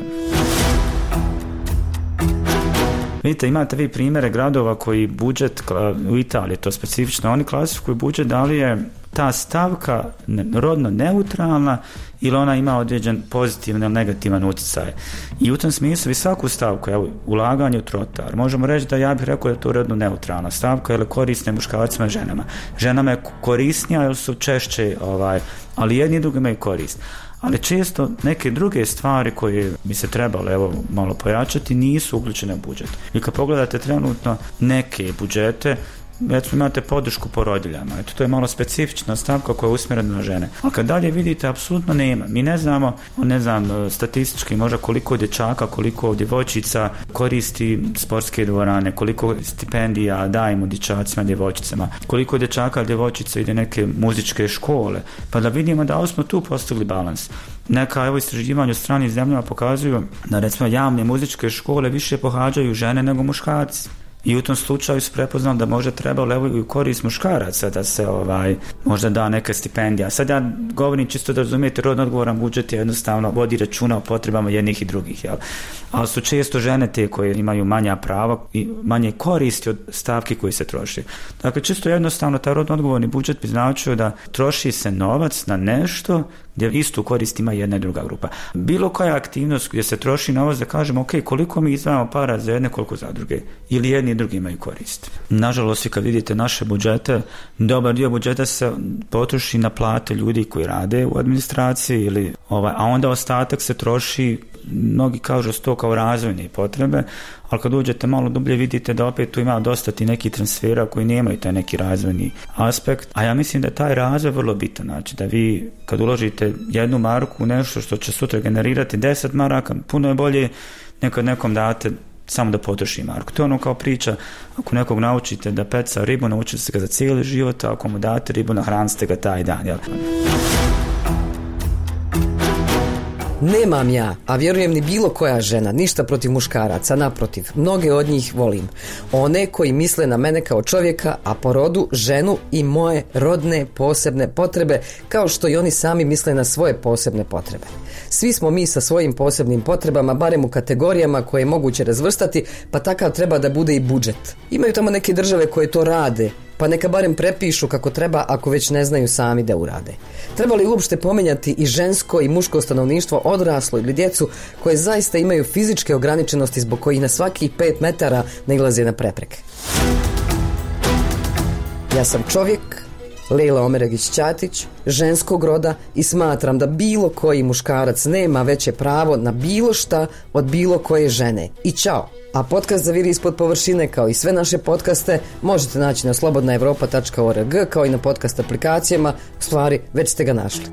Vidite, imate vi primjere gradova koji budžet, u Italiji to specifično, oni klasifikuju budžet da li je ta stavka rodno neutralna ili ona ima određen pozitivan ili negativan utjecaj. I u tom smislu vi svaku stavku, evo, ulaganje u trotoar, možemo reći da ja bih rekao da je to rodno neutralna stavka ili korisne muškarcima i ženama. Ženama je korisnija jer su češće, ovaj, ali jedni i drugi imaju korist. Ali često neke druge stvari koje bi se trebalo evo malo pojačati nisu uključene u budžet. I kad pogledate trenutno neke budžete, recimo imate podršku porodiljama, eto to je malo specifična stavka koja je usmjerena na žene. A kad dalje vidite, apsolutno nema. Mi ne znamo, ne znam, statistički možda koliko dječaka, koliko djevojčica koristi sportske dvorane, koliko stipendija dajemo dječacima, djevojčicama, koliko dječaka, djevojčica ide neke muzičke škole, pa da vidimo da smo tu postigli balans. Neka evo istraživanja u stranim zemljama pokazuju da recimo javne muzičke škole više pohađaju žene nego muškarci. I u tom slučaju se prepoznao da možda trebalo evo i u korist muškaraca da se ovaj, možda da neka stipendija. Sad ja govorim čisto da razumijete, rodno odgovoran budžet je jednostavno vodi računa o potrebama jednih i drugih, jel? Ali su često žene te koje imaju manja prava i manje koristi od stavki koji se troši. Dakle, čisto jednostavno taj rodno odgovorni budžet bi značio da troši se novac na nešto gdje istu korist ima jedna i druga grupa. Bilo koja aktivnost gdje se troši novac da kažemo ok, koliko mi izdvajamo para za jedne, koliko za druge. Ili jedni i drugi imaju korist. Nažalost, kad vidite naše budžete, dobar dio budžeta se potroši na plate ljudi koji rade u administraciji, ili, ovaj, a onda ostatak se troši, mnogi kažu to kao razvojne potrebe, ali kad uđete malo dublje vidite da opet tu ima dosta ti neki transfera koji nemaju taj neki razvojni aspekt, a ja mislim da je taj razvoj vrlo bitan, znači da vi kad uložite jednu marku u nešto što će sutra generirati deset maraka, puno je bolje nekad nekom date samo da potroši marku. To je ono kao priča, ako nekog naučite da peca ribu, naučite se ga za cijeli život, a ako mu date ribu, nahranite ga taj dan, jel? Nemam ja, a vjerujem ni bilo koja žena, ništa protiv muškaraca, naprotiv, mnoge od njih volim. One koji misle na mene kao čovjeka, a po rodu ženu i moje rodne posebne potrebe, kao što i oni sami misle na svoje posebne potrebe. Svi smo mi sa svojim posebnim potrebama, barem u kategorijama koje je moguće razvrstati, pa takav treba da bude i budžet. Imaju tamo neke države koje to rade, pa neka barem prepišu kako treba ako već ne znaju sami da urade. Treba li uopšte pomenjati i žensko i muško stanovništvo, odraslo ili djecu koje zaista imaju fizičke ograničenosti zbog kojih na svakih pet metara nailaze na prepreke? Ja sam čovjek, Lejla Omeragić-Ćatić, ženskog roda i smatram da bilo koji muškarac nema veće pravo na bilo šta od bilo koje žene. I čao! A podcast Zaviri ispod površine, kao i sve naše podcaste, možete naći na slobodna evropa tačka org, kao i na podcast aplikacijama. U stvari, već ste ga našli.